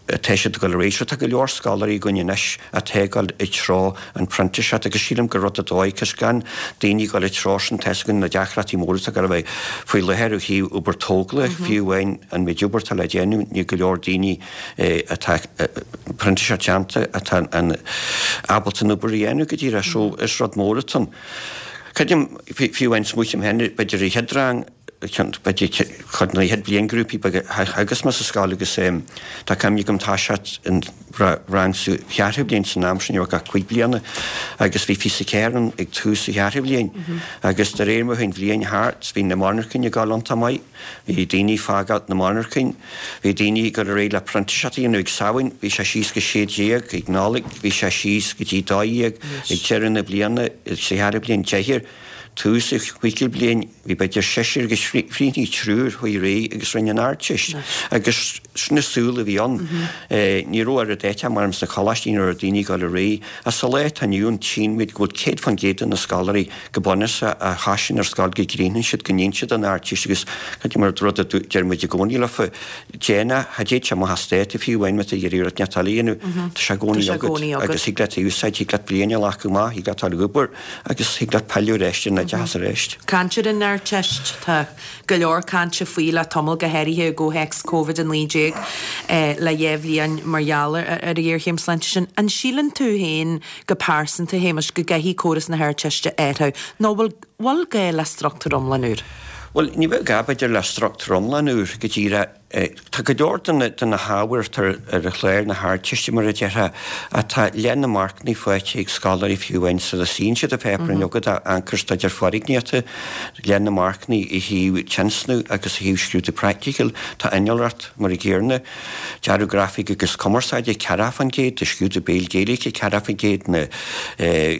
Tá siad ag dul ar aghaidh. So tá go leor scoláirí againn anois atá ag dul i dtreo an phrintíseacht agus sílim gur rud ar dóigh cos gan daoine ag dul i dtreo sin tá 'fhios againn na deacrachtaí móra atá ag dul a bheith faoi láthair ó thaobh obair tógála, fiú amháin an méid obair atá le déanamh níl go leor daoine atá printíseacht déanta atá an ábalta an obair a dhéanamh go díreach. So is rud mór atá ann. Creidim fiú amháin smaoiním féin b'fhéidir an chéad rang, b'fhéidir cuid de na chéad bhliainghrúpaí beaga a theagasc mé sa scoil agus tá cuimhne agam toiseacht an rang sa cheathrú bliain san am sin, ní raibh ach cúig bliana agus bhí fiche ceathair ann ag tús an cheathrú bhliain agus de réir mar a chuaigh an bhliain thart bhí na monarchain ag dul iontach maith, bhí daoine ag fágáil na monarchain, bhí daoine ag dul ar aghaidh le printíseacht a dhéanamh ag Samhain, bhí sé síos go sé déag, ag Nollaig bhí sé síos go dtí dó dhéag, ag deireadh na bliana sa cheathrú bliain deichniúr. Tús an chúigiú bliain, bhí b'fhéidir seisear agus chríochnaigh triúr chuaigh ar aghaidh agus rinne an Ardteist. Agus sin an saol a bhí ann. Ní raibh oiread áite mar sna coláistí, ní raibh daoine ag dul ar aghaidh. Ach sa lá atá inniu ann, tchímid go bhfuil céad fán gcéad de na scoláirí go bunúsach a thosaíonn ar scoil go gcríochnaíonn siad, go ndéanann siad an Ardteist agus cad é mar rud a deir muid i gcónaí leofa, déan é, cha dtéid sé amach as dáta fiú amháin má tá tú ag iarraidh rud inteacht eile a dhéanamh, tá sé i gcónaí agat agus thig leat é a úsáid, thig leat bliain a ghlacadh amach, thig leat dul ag obair. Agus thig leat pilleadh ar ais ar an oideachas arís. Caint ar an Ardteist, tá go leor cainte faoi le tamall, go háirithe i gcomhthéacs Covid a naoi déag le dhá bhliain mar gheall ar an ghéarchéim sláinte sin. An síleann tú féin go pearsanta, a Shéamais, go gcaithfidh córas na hArdteiste athrú nó bhfuil bhfuil gá le struchtúr iomlán úr? Bhuel, ní bheadh gá, b'fhéidir, le struchtúr iomlán úr go díreach. Tá go leor de na hábhair atá ar chlár na hArdteiste, mar a déarfá, atá leath na marcanna faighte ag scoláirí fiú amháin sula suíonn siad an pháipéar an agat amharcstaidéar foirgníochta, leath na marcanna i thaobh tionscnamh agus i thaobh scrúdú praiticiúil. Tá innealracht mar an gcéanna, dearadh grafaic agus cumarsáide, ceathracha fán gcéad, scrúdú béil Gaeilge, ceathracha fán gcéad, na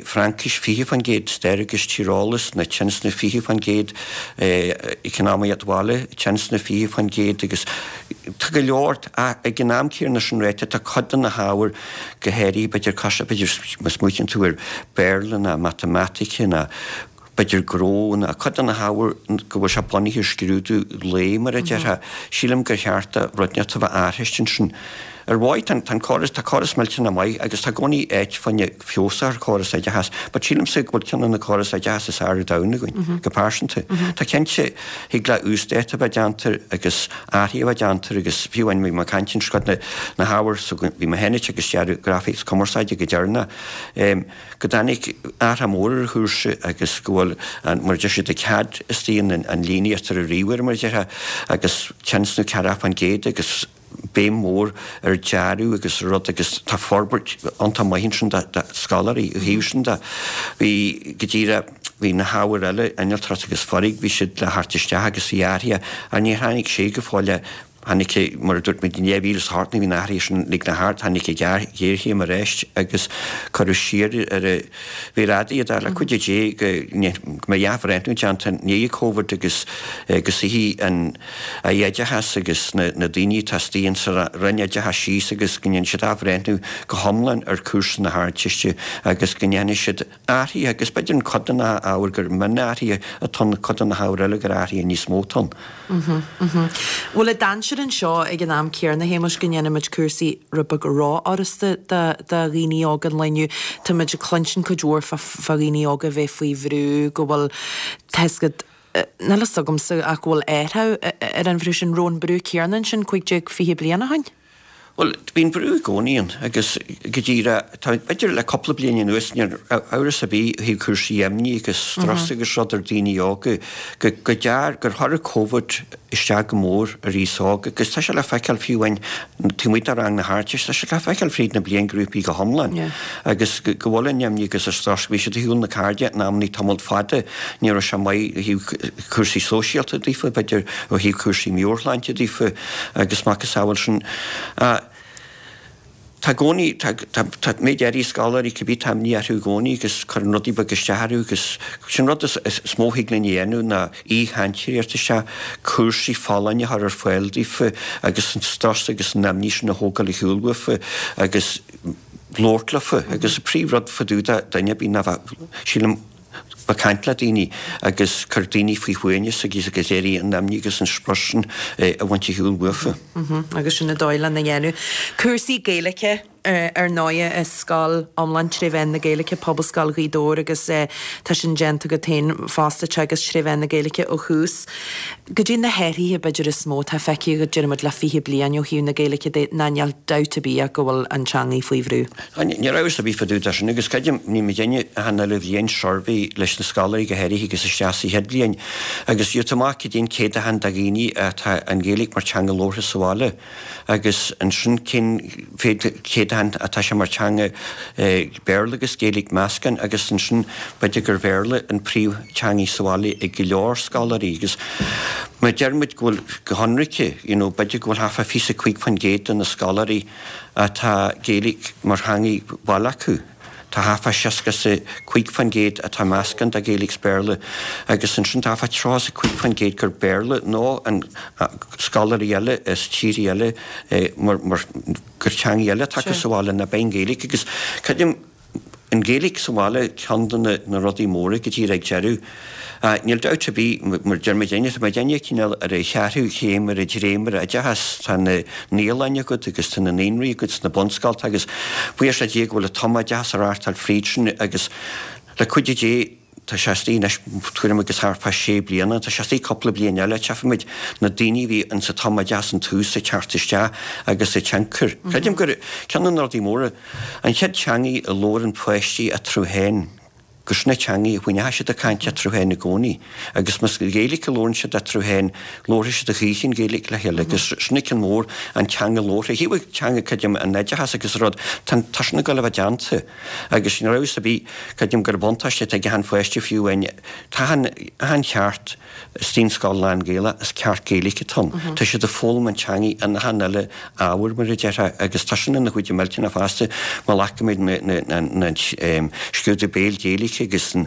Fraincis, fiche fán gcéad, stair agus tíreolas, na tionscnamh fiche fán gcéad, eacnamaíocht bhaile, tionscnamh fiche fán gcéad agus tá go leor, ag an am céanna sin ráite, tá cuid de na hábhair, go háirithe b'fhéidir cos, b'fhéidir má smaoitíonn tú ar Béarla ná Matamaitic ná b'fhéidir gnó ná cuid de na hábhair go bhfuil sé bunaithe ar scrúdú lae mar a déarfá, sílim gur cheart do rud inteacht a bheith athraithe ansin. Ar mhaith, tá an córas, tá córas millteanach maith agus tá i gcónaí áit fá choinne feabhas ar chóras oideachais, but sílimse go bhfuil ceann de na córais oideachais is fearr ar domhan againn, go pearsanta. Tá cinnte, thig le uasdátú a bheith déanta agus athruithe a bheith déanta agus fiú amháin bhí mé ag caint ansin cuid de na hábhair so bhí mé féin ag teagasc dearadh grafaic agus cumarsáide go deireanach, go dtáinig athrú mór ar an chúrsa agus go bhfuil an, mar a deir siad, an CAD istigh in an líníocht ar an ríomhaire mar a déarfá agus tionscnamh ceathracha fán gcéad agus béim mhór ar dearadh agus rud agus tá forbairt iontach maith ansin do scoláirí ó thaobh sin de. Bhí, go díreach, bhí na hábhair eile, innealtóireacht agus foirg, bhí siad le theacht isteach agus bhí athruithe ach níor tháinig sé go fóill le Tháinig, mar a dúirt muid, in dhá mhíle is a hocht nuair a bhí na hathruithe sin uilig thart, tháinig an ghéarchéim arís agus cuireadh siar ar an mhéar fhada iad ach le cuidiú Dé go mbeidh athbhreithniú déanta i ndiaidh Covid agus go suífidh an Aire Oideachais agus na daoine atá istigh insa Roinn Oideachais síos agus go ndéanfaidh siad athbhreithniú go hiomlán ar chúrsa na hArdteiste agus go ndéanfaidh siad athruithe agus b'fhéidir in cuid de na hábhair gur mionathruithe atá ann, cuid de na hábhair eile gur athruithe níos mó atá ann. Bhfuil an dainséar anseo ag an am céanna, a Shéamais, go ndéanfaimid cúrsaí rud beag rófhurasta do dhaoine óga an lae inniu? Táimid ag cluinstin cuid mhór fá dhaoine óga a bheith faoi bhrú, go bhfuil, tá a fhios agat, níl a fhios agamsa ach go bhfuil athrú ar an bhrú sin, raibh an brú céanna ansin cúig déag fiche bliain ó shin? Bhuel, bíonn brú i gcónaí ann agus go díreach, tá, b'fhéidir le cúpla bliain anuas, níl amhras ar bith ó thaobh cúrsaí imní agus strus agus rud ar daoine óga, go, go dear, gur chuir Covid isteach go mór ar aos óg agus tá sé le feiceáil fiú amháin taobh amuigh de rang na hArdteiste, tá sé le feiceáil fríd na bliainghrúpaí go hiomlán agus go, go bhfuil an imní agus an strus, bhí siad ar shiúl na cairde in amannaí tamall fada, ní raibh sé maith ó thaobh cúrsaí sóisialta daofa, b'fhéidir ó thaobh cúrsaí meabhairshláinte daofa agus macasamhail sin. Tá i gcónaí, tá, tá, tá méid áirithe scoláirí cibé, tá imní orthu i gcónaí agus cuireann rudaí beaga isteach orthu agus sin rud is, is mó a thig linn a dhéanamh ná aoichainteoirí a thabhairt isteach, cúrsaí folláine a chur ar fáil daofa agus an strus agus an imní sin a thógáil ar shiúl uafa agus labhairt leofa agus an príomh rud fá dtaobh de duine ar bith ná bheith, sílim, ag caint le daoine agus cur daoine faoi shuaimhneas agus agus iarraidh an imní agus an strus sin a bhaint ar shiúl uafa. Agus sin an dóigh lena dhéanamh. Cúrsaí Gaeilge ar ndóighe i scoil iomlán tré mheán na Gaeilge, Pobalscoil Ghaoth Dobhair agus tá sin déanta agat féin fosta, teagasc tré mheán na Gaeilge ó thús. Goidé na hathruithe b'fhéidir is mó atá feicthe agat, déarfaidh muid le fiche bliain ó thaobh na Gaeilge de, ná níl dabht ar bith ach go bhfuil an teangaidh faoi bhrú. Níl amhras ar bith fá dtaobh de sin agus creidim, ní muid ag déanamh achan uile bhliain suirbhé leis na scoláirí go háirithe agus isteach sa chéad bhliain agus gheobhaidh tú amach cad é an céatadán de dhaoine atá an Ghaeilge mar teanga labhartha sa bhaile agus ansin cén céatadán atá sé mar teanga Béarla agus Gaeilge meascán agus ansin b'fhéidir gur Bhéarla an príomh teangaidh sa bhaile ag go leor scoláirí agus má deir muid go bhfuil go hionraice you know b'fhéidir go bhfuil thart fá fiche cúig faoin gcéad de na scoláirí atá Gaeilge mar theangaidh bhaile acu. Tá thart fá seasca is a cúig faoin gcéad atá meascán de Ghaeilge 's Béarla agus ansin tá thart fá tríocha is a cúig faoin gcéad gur Béarla nó an scoláirí eile as tíortha eile mar mar gur teangaidh eile atá acu sa bhaile ná b'é an Ghaeilge agus creidim an Ghaeilge sa bhaile ceann de na rudaí móra go díreach ag deireadh. Níl dabht ar bith, mar deir muid tá muid cineál ar an cheathrú chéim ar an dréimire oideachais, tá na naíolanna agat agus tá na naíonraí agat sna bunscolta agus buíochas le Dia go bhfuil an tumoideachas á reáchtáil fríd sin agus le cuidiú Dé tá sé istigh anois tuairim agus thart fá sé bliana, tá sé istigh cúpla bliain eile, tchífimid na daoine a bhí insa tumoideachas an tús ag teacht isteach agus a tionchar. Creidim gur ceann de na rudaí móra, an chéad teangaidh a labhrann páistí eatarthu féin, gur sin an teangaidh a choinneoidh siad ag caint eatarthu féin i gcónaí. Agus más Gaeilge a labhrann siad eatarthu féin, labharfaidh siad a choíche an Ghaeilge le chéile. Agus sin an ceann mór, an teanga labhartha. Ó thaobh teanga, creidim, an oideachas agus an rud, tá, tá sin ag dul a bheith déanta. Agus níl amhras ar bith, creidim gur buntáiste atá ag achan pháiste fiú amháin, tá achan, achan cheart istigh in scoil lán-Ghaelach, is ceart Gaeilge atá ann. Tá siad ag foghlaim an teangaidh in achan uile ábhar, mar a déarfá, agus tá sin ina chuid millteanach fosta, má ghlacaimid na scrúdú béil Gaeilge agus an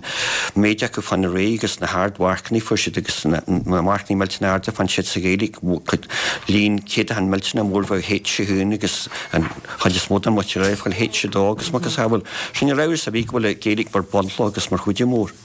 méid acu fán réidh agus na hardmharcanna a fuair siad agus na marcanna millteanach arda a fuair siad sa Ghaeilge, líon céatadán millteanach mór bheadh H a haon agus an chuid is mó den mhuintir eile ag fáil H a dó agus macasamhail. Sin níl amhras ar bith go bhfuil an Ghaeilge mar bunchloch agus mar chuidiú mór.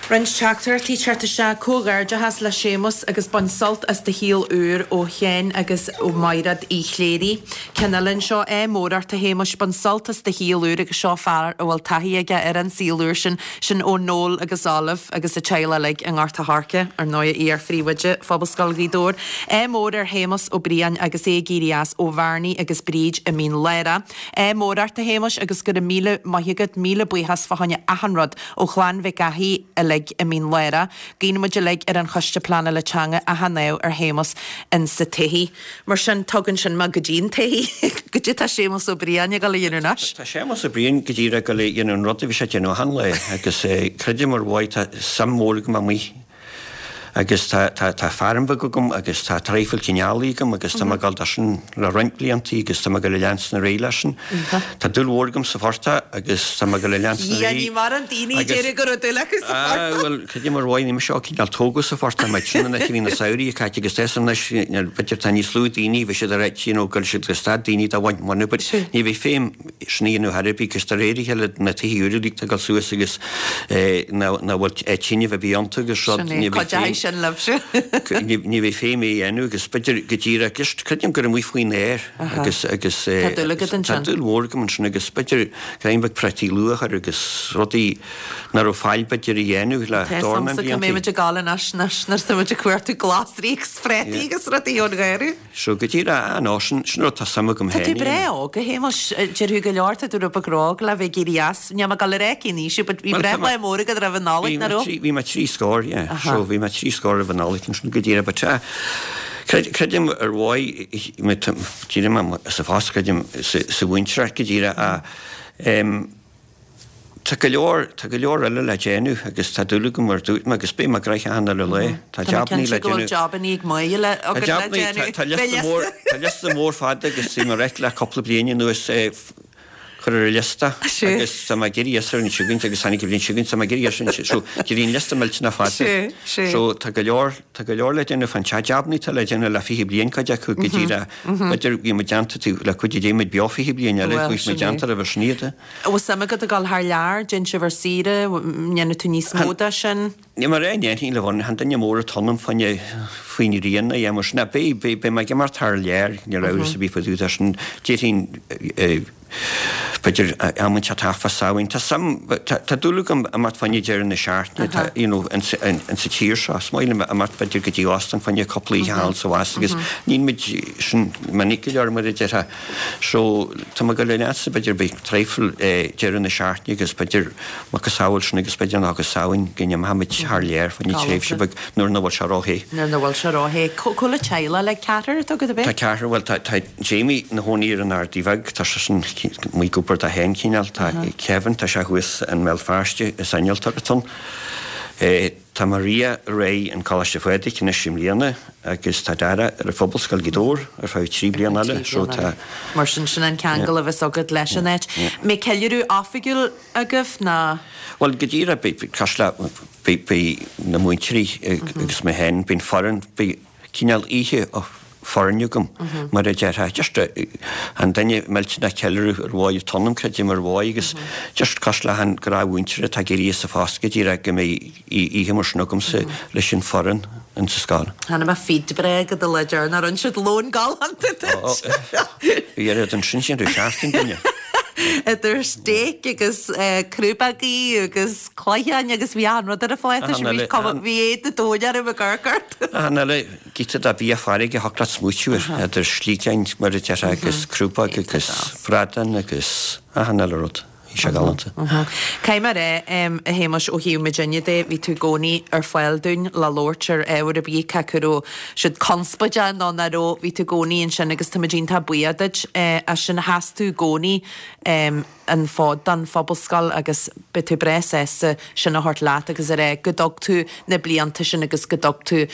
Roinnt teachtaireachtaí ag teacht isteach, Comhghairdeachas le Séamus agus bain sult as do shaol úr ó Sheán agus ó Mhaighread Uí Chléirigh. Ceann eile anseo, Ádh mór ort a Shéamuis, bain sult as do shaol úr agus seo fear a bhfuil taithí aige ar an saol úr sin, sin ó Noel agus Olive agus a teaghlach uilig i nGort a' Choirce, ar ndóigh iar-phríomhoide Phobalscoil Ghaoth Dobhair. Ádh mór ar Shéamus Ó Briain agus é ag éirí as ó Bhearnaí agus Bríd i Mín Lárach. Ádh mór ort a Shéamuis agus go raibh míle maith agat, míle buíochas fá choinne achan rud ó chlann Mhic Eachaidh uilig i Mín Lárach. Guíonn muid uilig ar an Choiste Pleanála Teanga achan ádh ar Shéamus in sa todhchaí. Mar sin, tugann sin mé go dtí an todhchaí. Goidé tá Séamus Ó Briain ag dul a dhéanamh anois? Tá Séamus Ó Briain go díreach ag dul a dhéanamh an rud a bhí sé ag déanamh achan lá agus creidim ar mhaith tá suim mhór agam amuigh Agus tá tá tá feirm bheag agam agus tá traidhfil cineálaí agam agus tá mé ag dul dó sin le roinnt bliantaí agus tá mé ag dul a leanstan ar aghaidh leis sin. Tá dúil mhór agam sa phortach agus tá mé ag dul a leanstan ar aghaidh. Ní mar an daoine a déarfadh go raibh dúil acu sa phortach. Bhuel, cad é mar mhaith, ní mise cineál tógadh sa phortach, mar sin an áit a bhí na samhraí ag caite agus is anois b'fhéidir tá níos lú daoine, bhí siad ar áit, you know, go siad go stad daoine dá bhaint bhainne, but ní bheidh feidhm sin a dhéanamh thar ar bith, agus de réir a chéile na tithe úra uilig ag dul suas agus ná bhfuil tine a bhí iontu agus rud, ní bheidh feidhm. Sin libhse. Ní bheidh feidhm é a dhéanamh agus b'fhéidir go díreach just creidim gur amuigh faoin aer agus agus Tá dúil agat ansin. Tá dúil mhór agam ansin agus b'fhéidir greim beag prátaí luath a chur agus rudaí nach raibh faill b'fhéidir a dhéanamh le Tá dornán fhios a'msa cá blianta. mbeidh muid ag gabháil anois anois nuair atá muid ag cuartú glasraí agus prátaí agus rudaí ón gharraí. So go díreach, ah no, sin sin rud tá suim agam Tá féin tú a breá dhéanamh. óg, a Shéamais, déarfaidh go leor, tá tú rud beag ró-óg le bheith ag éirí as. Níl mé ag dul a rá cén aois thú, but bhí Well, tá breithlá mé- mór agat roimh an Nollaig, Bhí nach mé raibh? trí bhí mé trí scór, yeah. So bhí mé trí scór roimh an Nollaig ansin go díreach, but ah, creid creidim ar mhaith díreach mé sa phost, creidim sa sa mhúinteoireacht go díreach ah, em, Tá go leor tá go leor eile le déanamh agus tá dúil agam mar dúirt mé agus beidh mé gnoitheach achan uile lá. Tá Tá mé jabannaí cinnte le go bhfuil déanamh. jabannaí ag maith le Tá agat le jabannaí tá déanamh. tá liosta mór tá liosta mór fada agus bhí mé réidh le cúpla bliain anuas eh, chur ar an liosta Sea. agus tá mé ag iarraidh ar an seo chugainn agus tháinig an bhliain seo chugainn tá mé ag iarraidh ar an so bhí an liosta millteanach fada. Sea, sea. So tá go leor tá go leor le déanamh fan tá jabannaí tá le déanamh le fiche bliain cuid acu go díreach. B'fhéidir bhí muid déanta tú le cuid de muid beo fiche bliain eile Bhuel, bhí muid sin é. déanta roimhe sin iad. Bhfuil suim agat a ghabháil thar lear, déan sibh ar saoire, ndéanfaidh tú níos mó de sin? Ní mar é ndéanfainn le bhun han duine mór atá ionam faoin faoin rian a dhéanamh sin beidh beidh beidh mé ag imeacht thar lear ní raibh a bhí fadú sin déarfainn b'fhéidir am inteacht fá Samhain Tá suim tá dúil agam imeacht fá choinne deireadh na seachtaine tá you know in sa in sa tír seo is maith liom imeacht b'fhéidir go dtí óstán fá choinne cúpla oíche thall sa bhas agus níl muid sin minic go leor mar a déarfá so tá mé ag dul leatsa b'fhéidir beidh traidhfil deireadh na seachtaine agus b'fhéidir macasamhail sin agus b'fhéidir ná go Samhain go n-imeochaimid thar lear fá choinne tréimhse beag nuair nach bhfuil sé róthe. Nuair nach bhfuil sé róthe. Cá bhfuil an teaghlach le ceathrar atá agat ab Tá é? ceathrar bhuel tá tá Jamie ina chónaí ar an Ardaidh Bheag tá sé sin amuigh ag obair dó féin cineál tá Kevin tá sé thuas i mBéal Feirste is innealtóir atá ann. Tá Maria réidh in Coláiste Phádraig anois i mbliana agus tá Dara ar an Phobalscoil Ghaoth Dobhair ar feadh trí bliana eile so tá Mar sin sin an ceangal a bheas agat leis an áit. Mbeidh ceiliúradh oifigiúil agaibh ná? Bhuel go díreach beidh cosúil le beidh na múinteoirí agus mé féin bíonn foireann beidh cineál oíche foirne agam mar a déarfá just an duine millteanach ceiliúradh ar mhaith atá ionam creidim ar mhaith agus just cosúil le han gnáthmhúinteoir atá ag éirí as a phost go díreach go mbeidh oíche mar sin agamsa leis an foireann in sa scoil. Tháinig mé feed breá go do le deireanach rinne siad lón galánta duit. Bhí oiread ansin sin raibh seachtain duine. Idir steak agus crúbaigí agus cloicheáin agus bhí an rud ar a phláta sin bhí cuma bhí éad na dóin orm ag amharc ort. Achan eile giota de bhia farraige a thiocfadh leat smaoitiú air idir sliogáin mar a déarfá agus crúbag agus bradán agus achan eile rud. Bhí sé galánta. Caithfidh mé a rá, a Shéamais, ó thaobh muidinne de, bhí tú i gcónaí ar fáil dúinn le labhairt ar ábhar ar bith, cé acu raibh siad conspóideach nó nach raibh, bhí tú i gcónaí ansin agus tá muid iontach buíoch duit as sin. Sheas tú i gcónaí an fód don phobalscoil agus beidh tú breá sásta sin a thabhairt leat agus a rá go dtug tú na blianta sin agus go dtug tú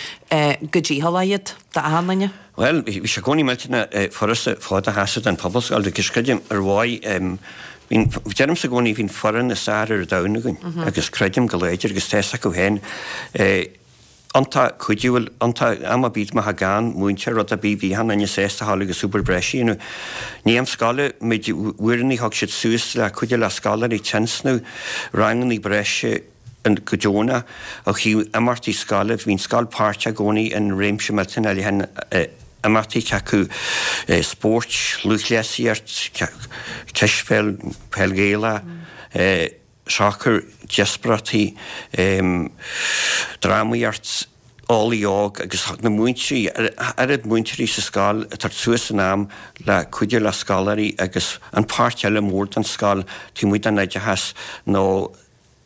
go dícheallach iad d'achan duine. Bhuel, bhí sé i gcónaí millteanach furasta fód a sheasamh don phobalscoil agus creidim ar mhaith Bhí'n, deirimse i gcónaí, bhí'n foireann is fearr ar domhan againn agus creidim go láidir agus tá fhios acu féin, iontach cuidiúil, iontach, am ar bith má tá gan múinteoir rud ar bith, bhí achan duine sásta a ghabháil agus obair breise a dhéanamh. I ndiaidh am scoile, muid, uaireanna thug siad suas le cuidiú le scoláirí tionscnamh, ranganna breise go deonach, ó thaobh imeachtaí scoile, bhí'n scoil páirteach i gcónaí in réimse millteanach leathan imeachtaí cé acu spóirt, lúthchleasaíocht, cispheil, peil Ghaelach, sacar, díospóireachtaí, drámaíocht, eolaí óg agus na múinteoirí, oiread múinteoirí sa scoil ag tabhairt suas an am le cuidiú le scoláirí agus an páirt eile mór den scoil taobh amuigh den oideachas nó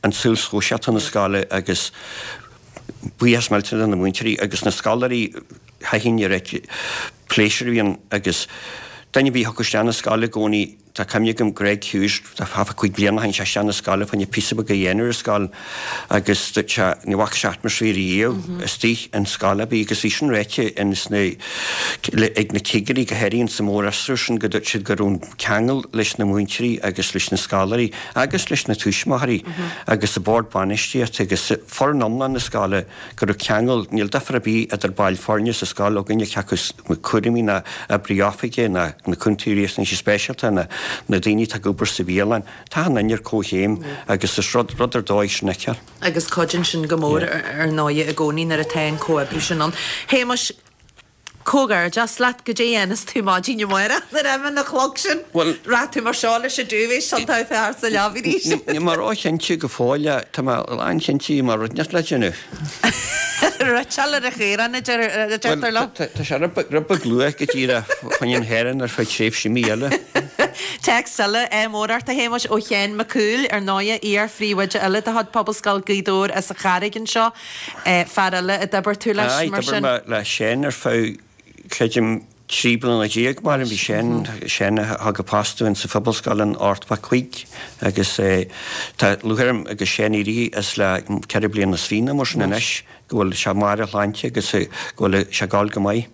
an saol sóisialta na scoile agus buíochas millteanach do na múinteoirí agus na scoláirí thaitin oiread pléisiúr a bhíonn agus duine a bhí thiocfadh isteach na scoile i gcónaí tá cuimhne agam Greg Hughes, thart fá cúig bliana ó shin, tháinig sé isteach na scoile fá choinne píosa beag a dhéanamh ar an scoil agus dúirt sé ní bhfaca sé atmaisféar riamh istigh in scoil ar bith agus bhí sin ráite ins na, ag na cigirí go háirithe ins an mórfhiosrú sin go dúirt siad go raibh an ceangal leis na múinteoirí agus leis na scoláirí agus leis na tuismitheoirí agus an bord bainistíochta agus foireann iomlán na scoile go raibh ceangal, níl difear ar bith idir baill foirne sa scoil againne cé acu cúraimí ná oibrí oifige ná na cúntóirí riachtanaisí speisialta ná na daoine atá ag obair sa bhialann. Tá achan duine ar comhchéim agus is rud rud ar dóigh sin a fheiceáil. Agus cuidíonn sin go mór ar ndóigh i gcónaí nuair atá an comhoibriú sin ann. Shéamais, comhghairdeas leat, goidé a dhéanfas tú maidin amárach nuair a imíonn an clog sin? Bhuel, Rachaidh tú mar seo leis an duvet sin tá fear sa leaba arís. Níl mé róchinnte go fóill, tá mé lánchinnte go mbeidh rud inteacht le déanamh. Riteáil ar an chaorán a deirtear leo. Tá sé rud beag luath go díreach fá choinne an chaoráin ar feadh tréimhse mí eile. Téacs eile, ádh mór ort a Shéamais ó Sheán Mac Cumhaill, ar ndóighe, iar-phríomhoide eile de chuid Pobalscoil Ghaoth Dobhair as an Charraig anseo, fear eile a d'oibir tú leis, Aye, mar d'oibir sin. mé le Seán ar feadh, creidim, trí bliana déag, mar bhí Seán, Seán a thug an post dúinn sa Phobalscoil in ochtó a cúig agus tá lúcháir orm agus Seán éirithe as le ceithre bliana is fiche nó mar sin anois, go bhfuil sé i mbarr a shláinte agus go bhfuil sé ag gabháil go maith.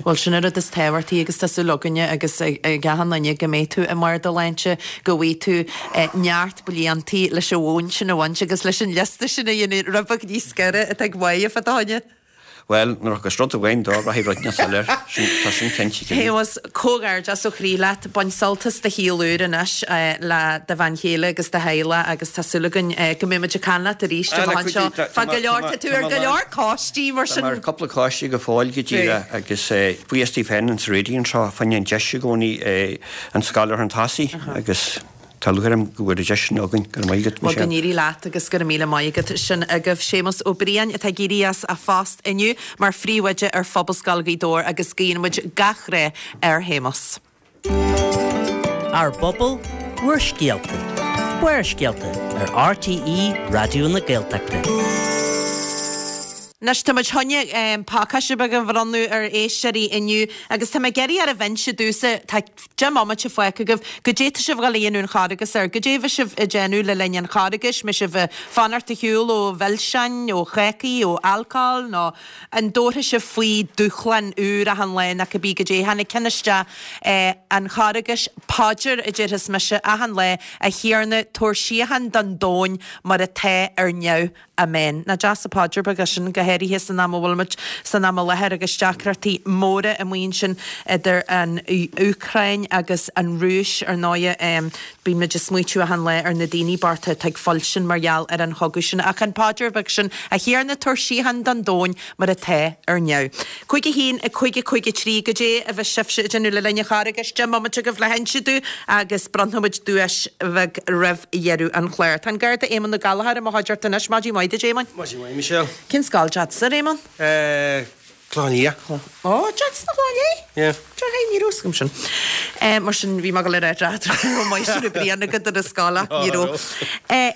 Bhuel, sin an rud is tábhachtaí agus tá súil againne agus ag achan duine go mbeidh tú i mbarr do shláinte, go bhfaighidh tú neart bliantaí leis an mhóin sin a bhaint agus leis an liosta sin a dhéanamh rud beag níos giorra atá ag maíomh fá do choinne. Bhuel, nuair a thiocfas rud amháin dó, rachaidh rud inteacht eile air. Sin, tá sin cinnte go Shéamais, comhghairdeas ó chroí leat. Bain sult as do shaol úr anois le do bhean chéile agus do theaghlach agus tá súil againn go mbeidh muid ag caint leat arís amach anseo. Fá go leor, tá tú ar go leor coistí mar Tá sin. mé ar cúpla coiste go fóill go díreach agus buíochas daoibh féin an raidió anseo fá choinne an deis i gcónaí an scoil a chur chun tosaigh agus tá lúcháir orm go bhfuil an deis sin againn. Go raibh maith agat, Bhuel, go Michelle. n-éirí leat agus go raibh míle maith agat. Sin agaibh Séamus Ó Briain atá ag éirí as a phost inniu mar phríomhoide ar Phobalscoil Ghaoth Dobhair agus guíonn muid gach rath ar Shéamus. Ár bpobal, bhur scéalta. Barrscéalta ar RTÉ Raidió na Gaeltachta. Anois tá muid chun pacáiste beag a bhronnadh ar éisteoirí inniu agus tá mé ag iarraidh oraibh inse domhsa tá deich mbomaite fágtha agaibh goidé tá sibh ag dul a dhéanamh an Charghas air, goidé a bhí sibh ag déanamh le linn an Charghais, mbeidh sibh ag fanacht ar shiúl ó mhilseáin, ó chácaí, ó alcól nó an dtabharfaidh sibh faoi dúshlán úr achan lá nó cibé goidé. Tháinig ceann isteach an Charghais, paidir a déarfas mise achan lá, a Thiarna tabhair síocháin don domhan mar atá ar neamh. Amen. Nach deas an paidir beag é sin go háirithe san am a bhfuil muid san am i láthair agus deacrachtaí móra amuigh ansin idir an Úcráin agus an Rúis ar ndóighe. Bíonn muid ag smaoitiú achan lá ar na daoine bochta atá ag fuilsint mar gheall ar an chogadh sin. Ach an paidir beag sin a Thiarna tabhair síocháin don domhan mar atá ar neamh. Cúig a haon a cúig a cúig a trí goidé a bheas sibhse ag déanamh le linn an Charghais deich mbomaite agaibh le hinse domh agus bronnfaidh muid duais bheag roimh dheireadh an chláir. Tá an Garda Éamonn Ó Gallchóir i mo chuideachta anois maidin mhaith duit Éamonn. Maidin mhaith Michelle. Cén scoil duitse Éamonn? Eh, Clochán Liath. Ó duit na Clochán Liath? Yeah. ní raibh agam sin. Mar sin bhí mé ag dul a rá maith sin bliain agat ar an scoil ach ní raibh.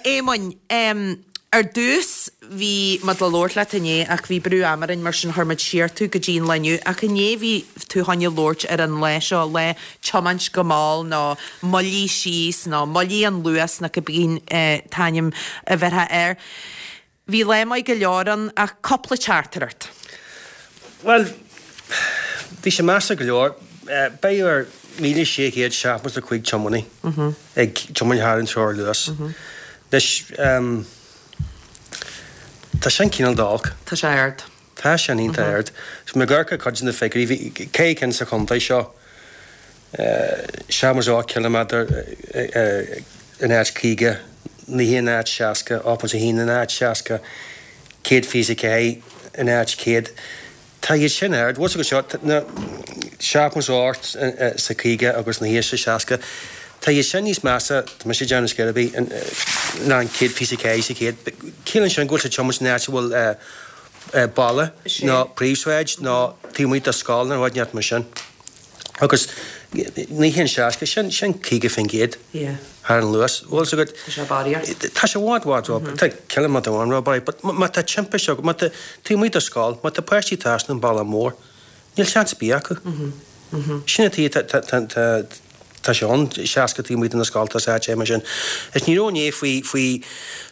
Éamonn, ar dtús bhí muid le labhairt leat inné ach bhí brú ama orainn mar sin chuir muid siar tú go dtí an lá inniu ach inné bhí tú chun labhairt ar an lá seo le tiomáint go mall nó moilligh síos nó moilligh an luas nó cibé an t-ainm a bheirtheá air. Bhí lá maith go leor ann ach cúpla teachtaireacht. Well, bhí sé measa go leor. Beidh ar míle sé chéad seachtó a cúig tiománaí ag tiomáint thar an teorainn luas. Anois tá sin cineál d'olc. Tá sé ard. Tá sin iontach ard. So má amharcann cuid de na figiúirí, bhí ceithre cinn sa chontae seo seachtó ocht ciliméadar in áit caoga, naoi in áit seasca, ocht ponc a haon in áit seasca, céad fiche a ceathair in áit céad. Tá iad sin ard. Bhfuil go seo na seachtó ocht sa caoga agus naoi sa seasca. Tá iad sin níos measa, tá mise ag déanamh scéal ar bith, ná an céad fiche a ceathair sa chéad. Ciallaíonn sin go bhfuil sé tiomáint in áit a bhfuil baile nó príomhshráid nó taobh amuigh de scoil nó rud inteacht mar sin. Agus naoi haon seasca, sin sin caoga faoin gcéad thar an luas. Bhfuil fhios agat? Tá sé barraíocht. Tá sé bhfad bhfad ró, tá ciliméadar amháin ró-barraíocht, but má tá timpiste agat, má tá taobh amuigh de scoil, má tá páistí ag trasnú an bealach mór, níl seans ar bith acu. Sin an tuige tá tá tá tá sé ann seasca taobh amuigh de na scolta is áit é mar sin. Is ní raibh inné faoi faoi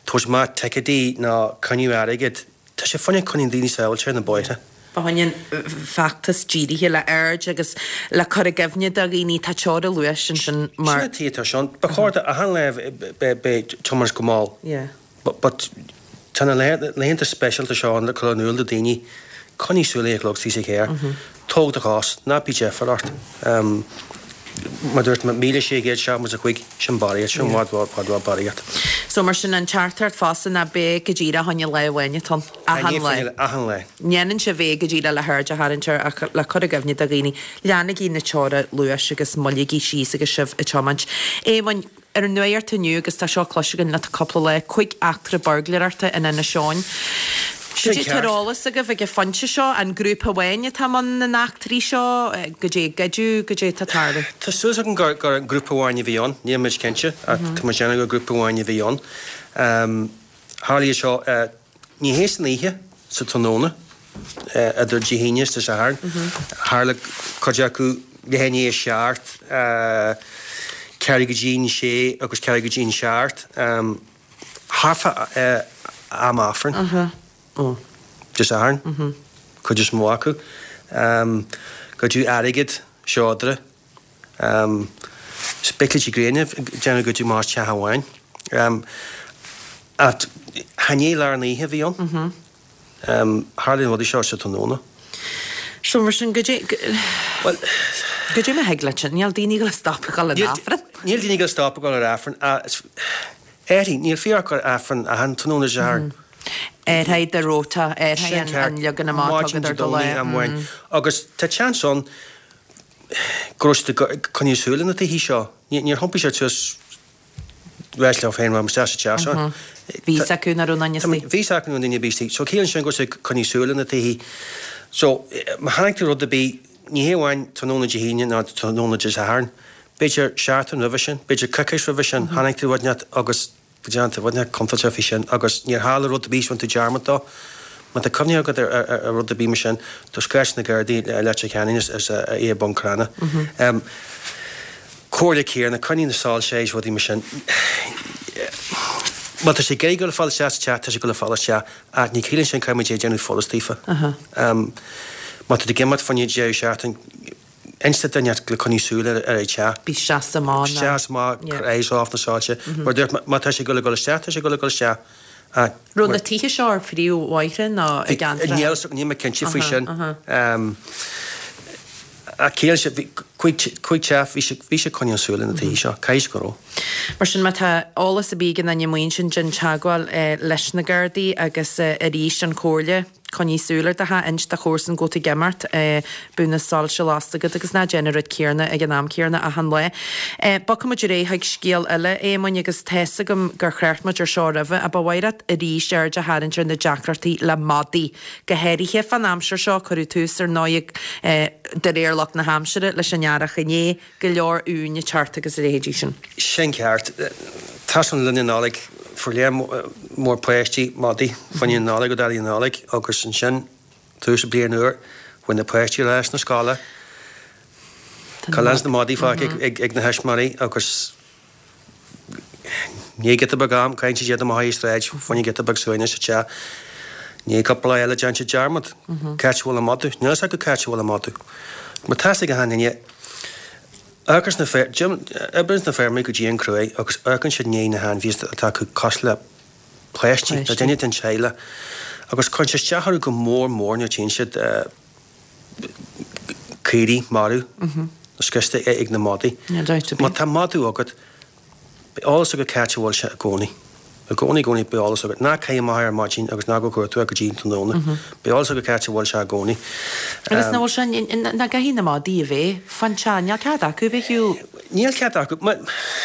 tabhairt amach ticéidí ná coinniú airgid. Tá sé fá choinne coinneáil daoine sábháilte ar na bóithre. Fá choinne feachtas dírithe le aird agus le cur i gcuimhne do dhaoine tá teora luais ansin mar. Sin an tuige atá sé ann. Ba chóir do achan lá beidh tiomáint go mall. Yeah. But but tá na laethanta speisialta seo ann le cur in iúl do daoine, coinnigh súil ar an gclog sa charr, tóg do chos, ná bí deifir ort. Mar dúirt mé, míle sé chéad seachtó is a cúig, sin barraíocht, sin i bhfad, bhfad, bhfad barraíocht. So mar sin an teachtaireacht fosta ná beidh go díreach fá choinne lá amháin atá ann, achan lá. Achan lá. Ndéanann sibh é go díreach le haird a tharraingt air ach le cur i gcuimhne do dhaoine, leanaigí na teora luais agus moilligí síos agus sibh ag tiomáint. Éamoinn, Ar an nuacht inniu, agus tá seo cloiste againn le cúpla lá, cúig eachtra buirgléireachta in Inis Eoghain. Sin Goidé ceart. tá ar eolas agaibh ag an phointe seo, an grúpa amháin atá i mbun na n-eachtraí seo, goidé a goideadh, goidé atá ag tarlú? Tá súil agam gur gur grúpa amháin a bhí ann, níl muid cinnte ach tá muid ag déanamh gur grúpa amháin a bhí ann. Tharla iad seo, ní hé san oíche, sa tráthnóna, idir Dé hAoine is Dé Sathairn. Tharla cuid acu leath i ndiaidh a seacht, ceathrú go dtí an sé agus ceathrú go dtí an seacht, thart fá am Aifrinn Dé Sathairn, cuid is mó acu. Goideadh airgead, seodra. Spéaclaí gréine déanamh goideadh amach as teach amháin. Ach chan é lár na hoíche a bhí ann. Tharla na rudaí seo sa tráthnóna. So mar sin, goidé, Bhuel, goidé mar a thig leat sin? Níl daoine ag dul a stop ag dul ar Aifreann. Níl daoine ag dul a stop ag dul ar Aifreann. Éirí, níl fíor acu ar Aifreann achan tráthnóna Dé Sathairn. Athraigh do rota, athraigh Sin an ceart. leagan amach atá Maidin agat Dé ar do lá. Domhnaigh amháin. Agus tá seans ann go raibh siad ag coinneáil súil ar na tithe seo. Níor thiompaigh siad suas ráit leo féin, bhuel, isteach sa teach seo. Bhí fhios acu nach raibh aon duine istigh. Bhí fhios acu nach raibh duine ar bith istigh. So ciallaíonn sin go raibh siad ag coinneáil súil ar na tithe. So má chonaic tú rud ar bith, ní hé amháin tráthnóna Dé hAoine ná tráthnóna Dé Sathairn, b'fhéidir seachtain roimhe sin, b'fhéidir coicís roimhe sin, chonaic tú rud inteacht agus go dtearn tú rud inteacht contúirteach faoi sin agus níor tharla rud ar bith is bhain tú dearmad dó. Má tá cuimhne agat ar rud ar bith mar sin, tá scratch na Gardaí i Leitir Ceanainn is é i Bun Cranncha. Comhairle céanna, coinnigh na soilse is rudaí mar sin. Má tá sé ag iarraidh dul ag fáil isteach sa teach, tá sé ag dul ag fáil isteach ach ní ciallaíonn sin caithfidh muid é a dhéanamh follas daofa. Má tá tú ag imeacht fá choinne deireadh seachtaine, inis do dhuine le coinneáil súil ar an teach. Bí seasta amach. Seas amach, cuir eyes off na soilse. Mar dúirt, má tá sé ag dul ag dul isteach, tá sé ag dul ag dul isteach. Raibh na tithe seo ar phríomhbhóithre nó i gceantracha? Níl, níl mé cinnte faoi sin. Ach ciallaíonn sé, bhí cúig teach, bhí sé, bhí sé ag coinneáil súil ar na tithe seo, caithfidh go raibh. Mar sin, má tá eolas ar bith ag aon duine amuigh ansin, déan teagmháil leis na Gardaí agus arís an chomhairle. Coinnigh súil ar do theach, inis do chomharsan go bhfuil tú ag imeacht, bíodh na soilse lasta agat agus ná déan an rud céanna ag an am céanna achan lá. Bogfaidh muid ar aghaidh chuig scéal eile, Éamoinn, agus tá's agam gur thrácht muid ar seo roimhe, ach ba mhaith leat arís aird a tharraingt ar na deacrachtaí le madaí, go háirithe fán aimsir seo, cuireadh tús ar ndóigh, de réir lucht na haimsire, leis an earrach inné, go leor uain ag teacht agus a leithéidí sin. Sin ceart. Tá san le linn na Nollag. Fuair léar mór páistí madaí fá choinne na Nollag ó Daidí na Nollag agus ansin tús an bliain úr bhain na páistí ar ais na scoile. Cá lean na madaí fágtha ag na thuismitheoirí agus i ndiaidh giota beag am caitheann siad iad amach ar an sráid fá choinne giota beag suaimhnis sa teach. I ndiaidh cúpla lá eile déanann siad dearmad cá háit a bhfuil an madadh. Níl a fhios acu cá háit a bhfuil an madadh. Má tá fhios ag achan duine Amharcann na feir, oibríonn na feirmeoirí go dian cruaidh agus amharcann siad i ndiaidh na hainmhithe atá acu cosúil le páistí, le duine den teaghlach agus cuireann sé isteach orthu go mór mór nuair a tchíonn siad caoirigh marbh nó scriosta ag na madaí. Má tá madadh agat, beidh eolas agat cá háit a bhfuil sé i gcónaí. I gcónaí, i gcónaí, beidh eolas agat. Ná caith amach é ar maidin agus ná gabh cuartú é go dtí an tráthnóna. Beidh eolas agat cá háit a bhfuil sé i gcónaí. Agus nach bhfuil sé, nach gcaithfidh na madaí a bheith fán teach, níl cead acu a bheith ar shiúl. Níl cead acu.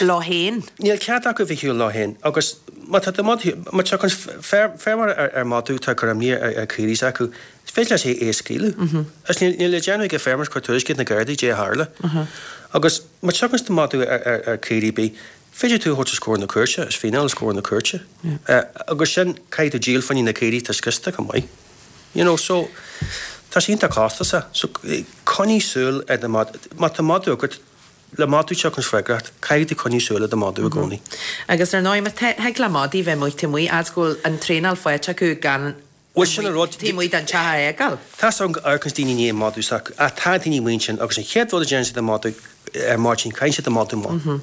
Leo féin. Níl cead acu a bheith ar shiúl leo féin. Agus má tá do mhadadh, má tá feirmeoir ar madadh atá ag cur imní ar chaoirigh s'acu, is féidir leis é a scaoileadh. Agus níl le déanamh ag an feirmeoir ach cur tuairisc chuig na Gardaí goidé a tharla. Agus má tiocfaidh do mhadadh ar chaoirigh ar bith, Féidir tú a thabhairt os comhair na cúirte, is fíneáil os comhair na cúirte. Agus sin, caithfidh tú díol fá choinne na caoirigh atá scriosta chomh maith. You know, so, tá sé iontach costasach. So, coinnigh súil ar do mhadadh. Má tá madadh agat, Le madadh teacht an freagracht, caithfidh tú coinneáil súil ar do mhadadh i gcónaí. Agus ar ndóigh, má thig le madaí bheith amuigh taobh amuigh, as go bhfuil an traenáil faighte acu gan Bhuel, sin an rud. taobh amuigh den teach a fhágáil. Tá 's agam go amharcann daoine i ndiaidh an madadh s'acu, ach tá daoine amuigh ansin agus an chéad rud a déanann siad an madadh ar maidin, caitheann siad an madadh amach.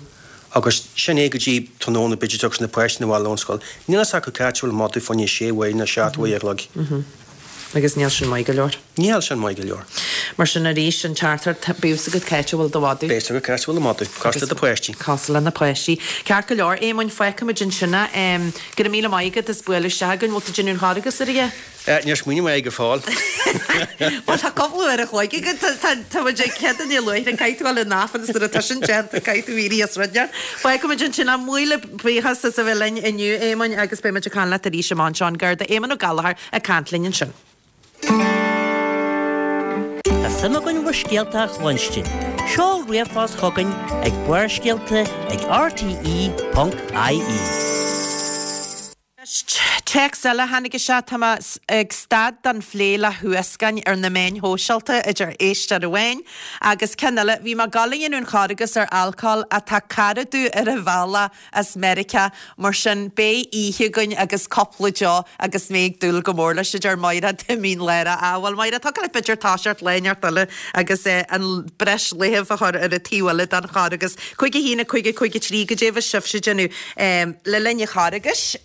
Agus sin é go dtí tráthnóna b'fhéidir tiocfaidh na páistí na bhaile ón scoil. Níl fhios acu cá háit a bhfuil an madadh fá choinne sé uair nó seacht uair a chloig. Agus níl sin maith go leor. Níl sin maith go leor. Mar sin arís an teachtaireacht, bíodh 's agat cá háit a bhfuil do mhadadh. Beidh 's agat cá háit a bhfuil do mhadadh, cosúil le do pháistí. Cosúil le na páistí. Ceart go leor, Éamoinn, fágfaimid ansin é. Go raibh míle maith agat as bualadh isteach againn. Bhfuil tú ag déanamh an Charghais ar a Níor smaoinigh mé go fóill. Bhuel tá cúpla uair a chloig agat, tá muid ag Céadaoine luaithe, caithfidh tú dul in Aifreann nuair atá sin déanta, caithfidh tú éirí as rud inteacht. Fágfaimid ansin é. Míle buíochas as a bheith linn inniu, Éamoinn, agus beidh muid ag caint leat arís amach anseo an Garda Éamonn Ó Gallchóir ag caint linn ansin. Tá suim againn bhur scéalta a chluinstin. Seol ríomhphost chugainn ag Barrscéalta ag R T E ponc I E. Téacs eile tháinig isteach, tá mé ag stad den phlé le huascain ar na meáin shóisialta idir éisteoir amháin agus ceann eile, bhí mé ag dul a dhéanamh an Charghas ar alcól ach tá cara domh ar a bhealach as Meiriceá mar sin beidh oíche againn agus cúpla deoch agus mé ag dúil go mór leis a deir Máire Timín Lára. Á bhuel Máire, tá leat b'fhéidir toiseacht lá inteacht eile agus an breis laethibh a chur ar an taobh eile den Charghas. Cúig a haon a cúig a cúig a trí goidé a bhí sibhse ag déanamh le linn an Charghais.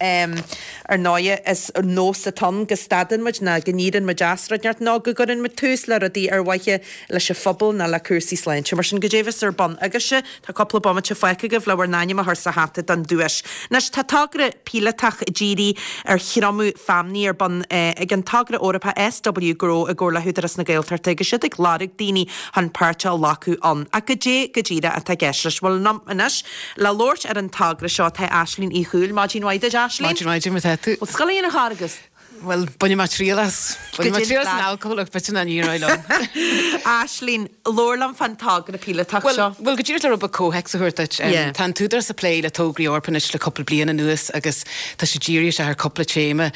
Ar ndóigh is nós atá ann go stadann muid ná go n-éiríonn muid as rud inteacht nó go gcuireann muid tús le rudaí ar mhaithe leis an phobal ná le cúrsaí sláinte. Mar sin goidé a bheas ar bun agaibhse, tá cúpla bomaite fágtha agaibh le bhur n-ainm a chur sa hata don duais. Anois tá togra píolótach dírithe ar thriomú feamnaí ar bun ag an togra Eorpach S W Grow i gcomhar le hÚdarás na Gaeltachta agus siad ag lorg daoine chun páirt a ghlacadh ann. Ach goidé go díreach atá i gceist leis. Bhuel anois le labhairt ar an togra seo tá Aislinn Uí Chúil. Maidin mhaith duit Aislinn. Maidin mhaith mar tú. Well scoil an Charghas. Well bainfidh mé triail as Bainfidh mé triail as an alcohol ach b'fhéidir ní rá liom. Aislinn, labhair liom fán togra píolótach seo. Well go díreach le rud beag comhthéacs a thabhairt duit. Tá an tÚdarás ag plé le tograí Eorpacha anois le cúpla bliain anuas agus tá sé dírithe ar cúpla téama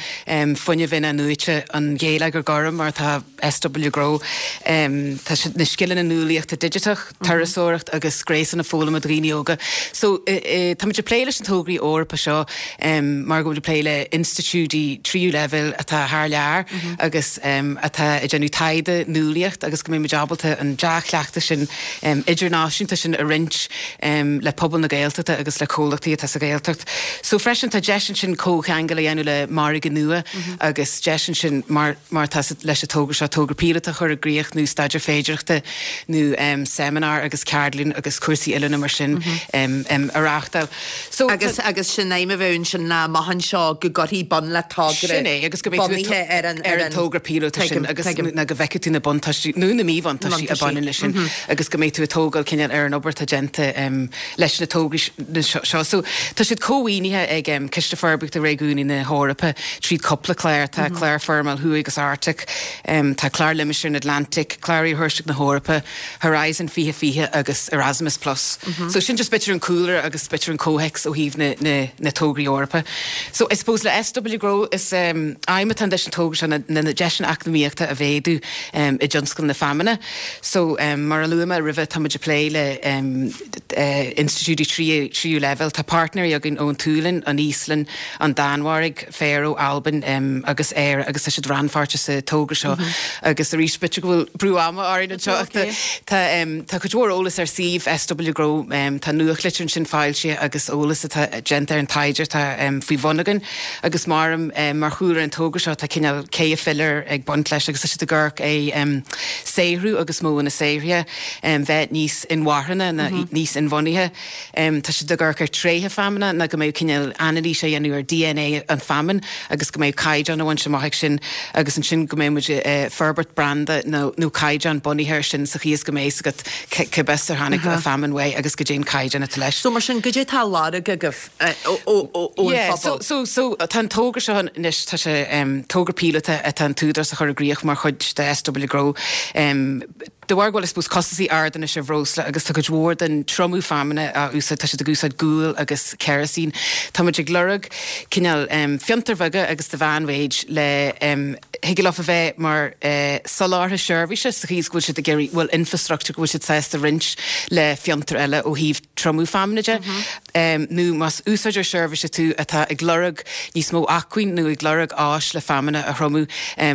fuinneamh in-athnuaite an geilleagar gorm mar tá S W Grow tá na scileanna nuálaíochta digiteach, turasóireacht agus gréasán na foghlama do dhaoine óga. So tá ag plé leis na tograí Eorpacha seo mar go bhfuil plé le institiúidí tríú leibhéal atá thar lear agus atá ag déanamh taighde nuálaíocht agus go mbeidh ábalta an dea-chleachtas sin idirnáisiúnta sin a roinnt le pobal na Gaeltachta agus le comhlachtaí atá sa Ghaeltacht. So freisin tá deis ansin comhcheangal a dhéanamh le margadh nua agus deis ansin mar mar tá leis an togra seo togra píolótach chur i gcrích nó staidéar féidearthachta nó um, seimineár agus ceardlann agus cúrsaí oiliúna mar sin um, um, a reáchtáil. So agus agus sin aidhm a bheith sin na mahan seo go gcuirfí bun le togra Sin é agus go mbeidh tú ar an ar an togra píolótach sin agus na go bhfeicfidh tú na buntáistí nó na míbhuntáistí a bhaineann leis sin agus go mbeidh tú ag tógáil cineál ar an obair atá déanta um, leis na tograí seo. So tá siad cómhaoinithe ag um, Ciste Forbartha Réigiúnaí na hEorpa tríd cúpla clár tá mm -hmm. clár Forimeall Thuaidh agus Arctic, um, tá clár Limistéar Atlantic, clár Iarthuaisceart na hEorpa, Horizon fiche fiche agus Erasmus Plus. Mm -hmm. So sin just b'fhéidir an cúlra agus b'fhéidir an comhthéacs ó thaobh na, na, na tograí Eorpacha. So I suppose le S W Grow is um, aidhm atá leis an togra seo na, na, na deiseanna eacnamaíochta a mhéadú um, i dtionscal na feamainne. So um, mar a luaigh mé roimhe tá muid ag plé le um, uh, institiúidí tríú leibhéal tá páirtnéirí againn ón tSualainn, an Íoslainn, an Danmhairg, Faroe, Albain um, agus Éire agus tá siad rannpháirteach sa togra seo mm -hmm. agus arís b'fhéidir go bhfuil brú ama orainn anseo tá um, tá cuid mhór eolas ar suíomh S W Grow um, tá nuachtlitir ansin foilsithe agus eolas atá déanta ar an taighde tá um, faoi bhun againn agus mar um, mar chúlra an togra seo tá cineál ceithre philar ag baint leis agus tá siad ag amharc ar um, saothrú agus modhanna saothraithe um, bheith níos inmharthana na mm -hmm. níos inbhuanaithe. Um, tá siad ag amharc ar tréithe feamainne na go mbeidh cineál anailís á dhéanamh ar D N A an feamainn agus go mbeidh caighdeán a bhaint amach sin agus ansin go mbeidh muid uh, forbairt branda nó, nó caighdeán bunaithe sin sa chaoi is go mbeidh agat cibé ar tháinig a feamainn uaidh agus goidé an caighdeán atá leis. So mar sin goidé tá á lorg agaibh ó so so so tá an togra seo anois tá sé um, togra píolótach atá an tÚdarás a chur i gcrích mar chuid de S W Grow um, de bharr go bhfuil I suppose costasaí ard anois ar bhreosla agus tá cuid mhór den triomú feamainne á úsáid, tá siad ag úsáid gual agus kerosene. Tá muid ag lorg cineál fiontair bheaga agus de mheánmhéid le thig leo a bheith mar soláthraithe seirbhíse sa chaoi is go bhfuil siad ag iarraidh, bhfuil infrastructure go bhfuil siad sásta roinnt le fiontair eile ó thaobh triomú feamainne de. Nó más úsáideoir seirbhíse tú atá ag lorg níos mó acmhainn nó ag lorg áis le feamainne a thriomú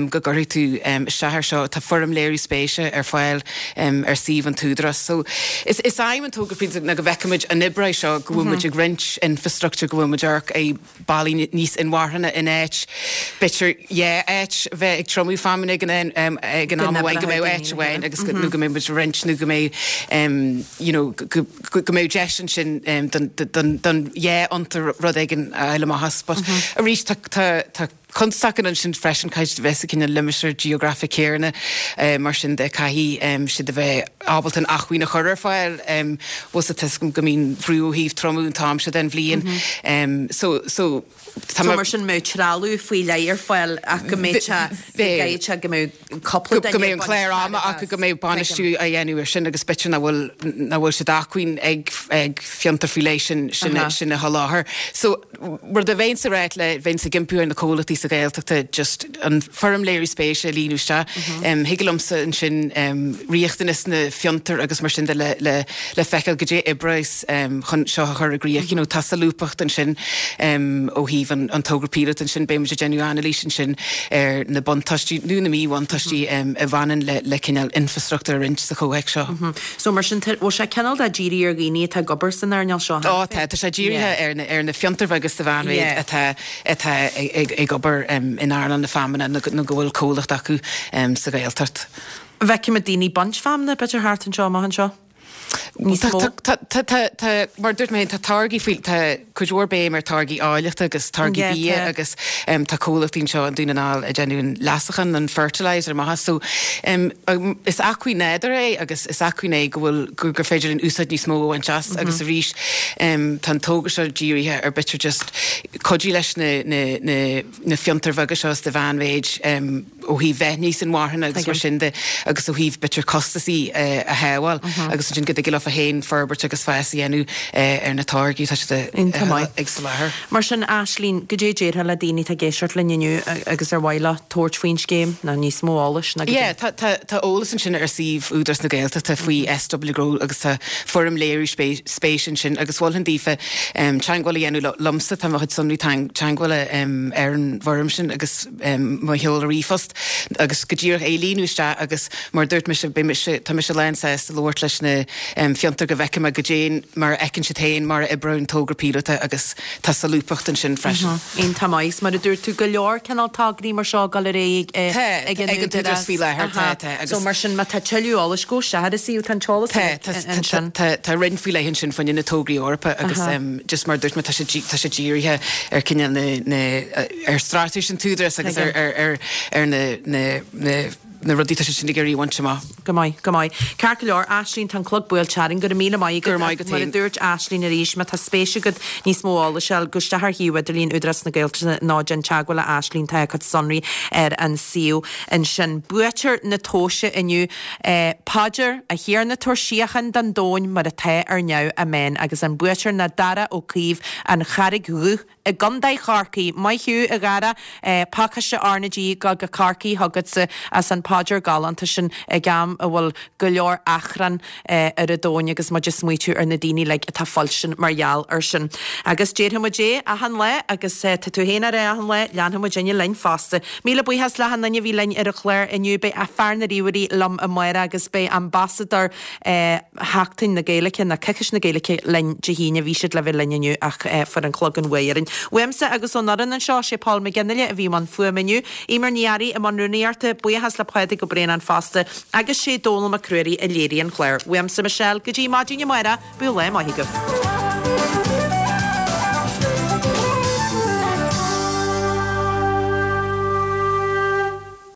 go gcuirfidh tú isteach air seo. Tá foirm léiriú spéise ar fáil ar suíomh an tÚdarás. So is is aidhm an togra píolótach ná go bhfeicfimid an oibreoidh seo, go bhfuil muid ag roinnt infrastructure, go bhfuil muid ag amharc ar bealaí níos inmharthana in áit b'fhéidir dhá áit a bheith ag triomú feamainne ag an ag an am amháin, go mbeadh áit amháin agus go nó go mbeidh muid ag roinnt nó go mbeidh you know go go mbeadh deis ansin don don don dhá fhiontar rud éigin a fháil amach as. But arís tá tá tá Constaic ansin freisin, caithfidh siad a bheith sa cineál limistéar geografach céanna, mar sin de caithfidh siad a bheith ábalta an acmhainn a chur ar fáil. Bhfuil a fhios agam go mbíonn brú ó thaobh triomú an t-am seo den bhliain. So, so tá So mar sin mbeadh trealamh faoi leith ar fáil ach go mbeadh sé, go gcaithfidh sé go mbeadh cúpla duine go mbeadh an clár ama acu, go mbeadh bainistiú á dhéanamh air sin agus b'fhéidir nach bhfuil, nach bhfuil sé d'acmhainn ag, ag fiontar faoi leith sin, sin, sin a sholáthar. So rud a bheinnse ag ráit le, bheinnse ag impí ar na comhlachtaí sa Ghaeltachta just an foirm léiriú spéise a líonadh isteach. Thig liomsa ansin riachtanas na fiontar agus mar sin de le, le, le feiceáil goidé oibreoidh chun seo a chur i gcrích. You know, tá solúbthacht ansin ó thaobh an, an togra píolóta ansin, beidh muid ag déanamh anailís ansin ar na buntáistí nó na míbhuntáistí a bhaineann le, le cineál infrastruchtúr a roinnt sa chomhthéacs seo. So mar sin, bhfuil sé cineál de dírithe ar dhaoine atá ag obair san earnáil seo? Ó tá, tá sé dírithe ar na, ar na fiontair bheaga is de mheánmhéid atá, atá ag, ag obair in earnáil na feamainne nó, nó go bhfuil comhlacht acu sa Ghaeltacht. Feicimid daoine ag baint feamainne, b'fhéidir thart anseo, amach anseo? Níos mó? Tá, tá, tá, tá, mar a dúirt mé féin, tá táirgí faoi, tá cuid mhór béim ar táirgí áilleachta agus táirgí bia agus tá comhlachtaí anseo i nDún na nGall ag déanamh an leasachán, an fertiliser amach as. So is acmhainn nádúrtha é agus is acmhainn é go bhfuil, gur féidir linn úsáid níos mó a bhaint as agus arís tá an togra seo dírithe ar b'fhéidir just cuidiú leis na, na, na, na fiontair bheaga seo is de mheánmhéid ó thaobh bheith níos inmharthana agus mar sin de agus ó thaobh b'fhéidir costasaí a shábháil agus ansin go dtig leo féin forbairt agus fás a dhéanamh ar na táirgí atá siad ag soláthar. Mar sin, Aislínn, goidé a déarfá le daoine atá ag éisteacht linn inniu agus ar mhaith leo tabhairt faoin scéim nó níos mó eolais ná Yeah, tá, tá, tá eolas ansin ar suíomh Údarás na Gaeltachta faoi SW Grow agus tá foirm léiriú spéise ansin agus mholfainn daofa teagmháil a dhéanamh liomsa, tá mo chuid sonraí teagmhála ar an bhfoirm sin agus mo sheoladh ríomhphost agus go díreach é a líonadh isteach agus mar a dúirt mise, beidh mise, tá mise lán sásta labhairt leis na fiontair go bhfeicfidh mé goidé mar a fheiceann siad féin mar a oibreoidh an togra píolóta agus tá solúbthacht ansin freisin. Iontach maith. Agus mar a dúirt tú, go leor cineál tograí mar seo ag dul ar aghaidh ag an Údarás faoi láthair, tá, tá. Agus so mar sin, má tá tuilleadh eolais, gabh isteach ar an suíomh, tá an t-eolas ansin. Tá, tá, tá roinn faoi leith ansin fá choinne na tograí Eorpacha agus just mar a dúirt mé, tá sé, tá sé dírithe ar cineál na, na, ar straitéis an tÚdarás agus ar, ar, ar, ar na, na, na, na rudaí atá siad sin ag iarraidh a bhaint amach. Go maith, go maith. Ceart go leor, Aislínn, tá an clog buailte orainn. Go raibh míle maith agat. Go raibh maith agat Mar a féin. dúirt Aislínn arís, má tá spéis agat níos mó eolais a fháil, gabh isteach ar shuíomh idirlín Údarás na Gaeltachta nó déan teagmháil le Aislínn, tá a cuid sonraí ar an suíomh ansin. Buaiteoir na tomhaise inniu, Paidir, A Thiarna tabhair síocháin don domhain mar atá ar neamh. Amen. Agus an buaiteoir ná Dara Ó Caoimh, An Charraig Dhubh i gContae Chorcaí. Maith thú, a Dhara. Pacáiste R na G go go Corcaigh chugatsa as an phaidir galánta sin ag am a bhfuil go leor achrann ar an domhain agus muid ag smaoitiú ar na daoine uilig atá fuilsin mar gheall ar sin. Agus déarfaidh muid é achan lá agus tá tú féin á rá achan lá, leanfaidh muidinne linn fosta. Míle buíochas le achan duine a bhí linn ar an chlár inniu. Beidh fear na ríomhairí liom amárach agus beidh ambasadóir Sheachtain na Gaeilge, nó Coicís na Gaeilge linn Dé hAoine. Bhí siad le bheith linn inniu ach fuair an clog an bhuaidh orainn. Uaimse agus ón fhoireann anseo, sé Paul McGinley a bhí i mbun fuaime inniu, Eimear Ní Fhearraigh i mbun rúnaíochta, buíochas le Pádraig Ó Braonáin fosta, agus sé Dónal Mac Ruairí a léirigh an clár. Uaimse, Michelle, go dtí maidin amárach, bíodh lá maith agaibh.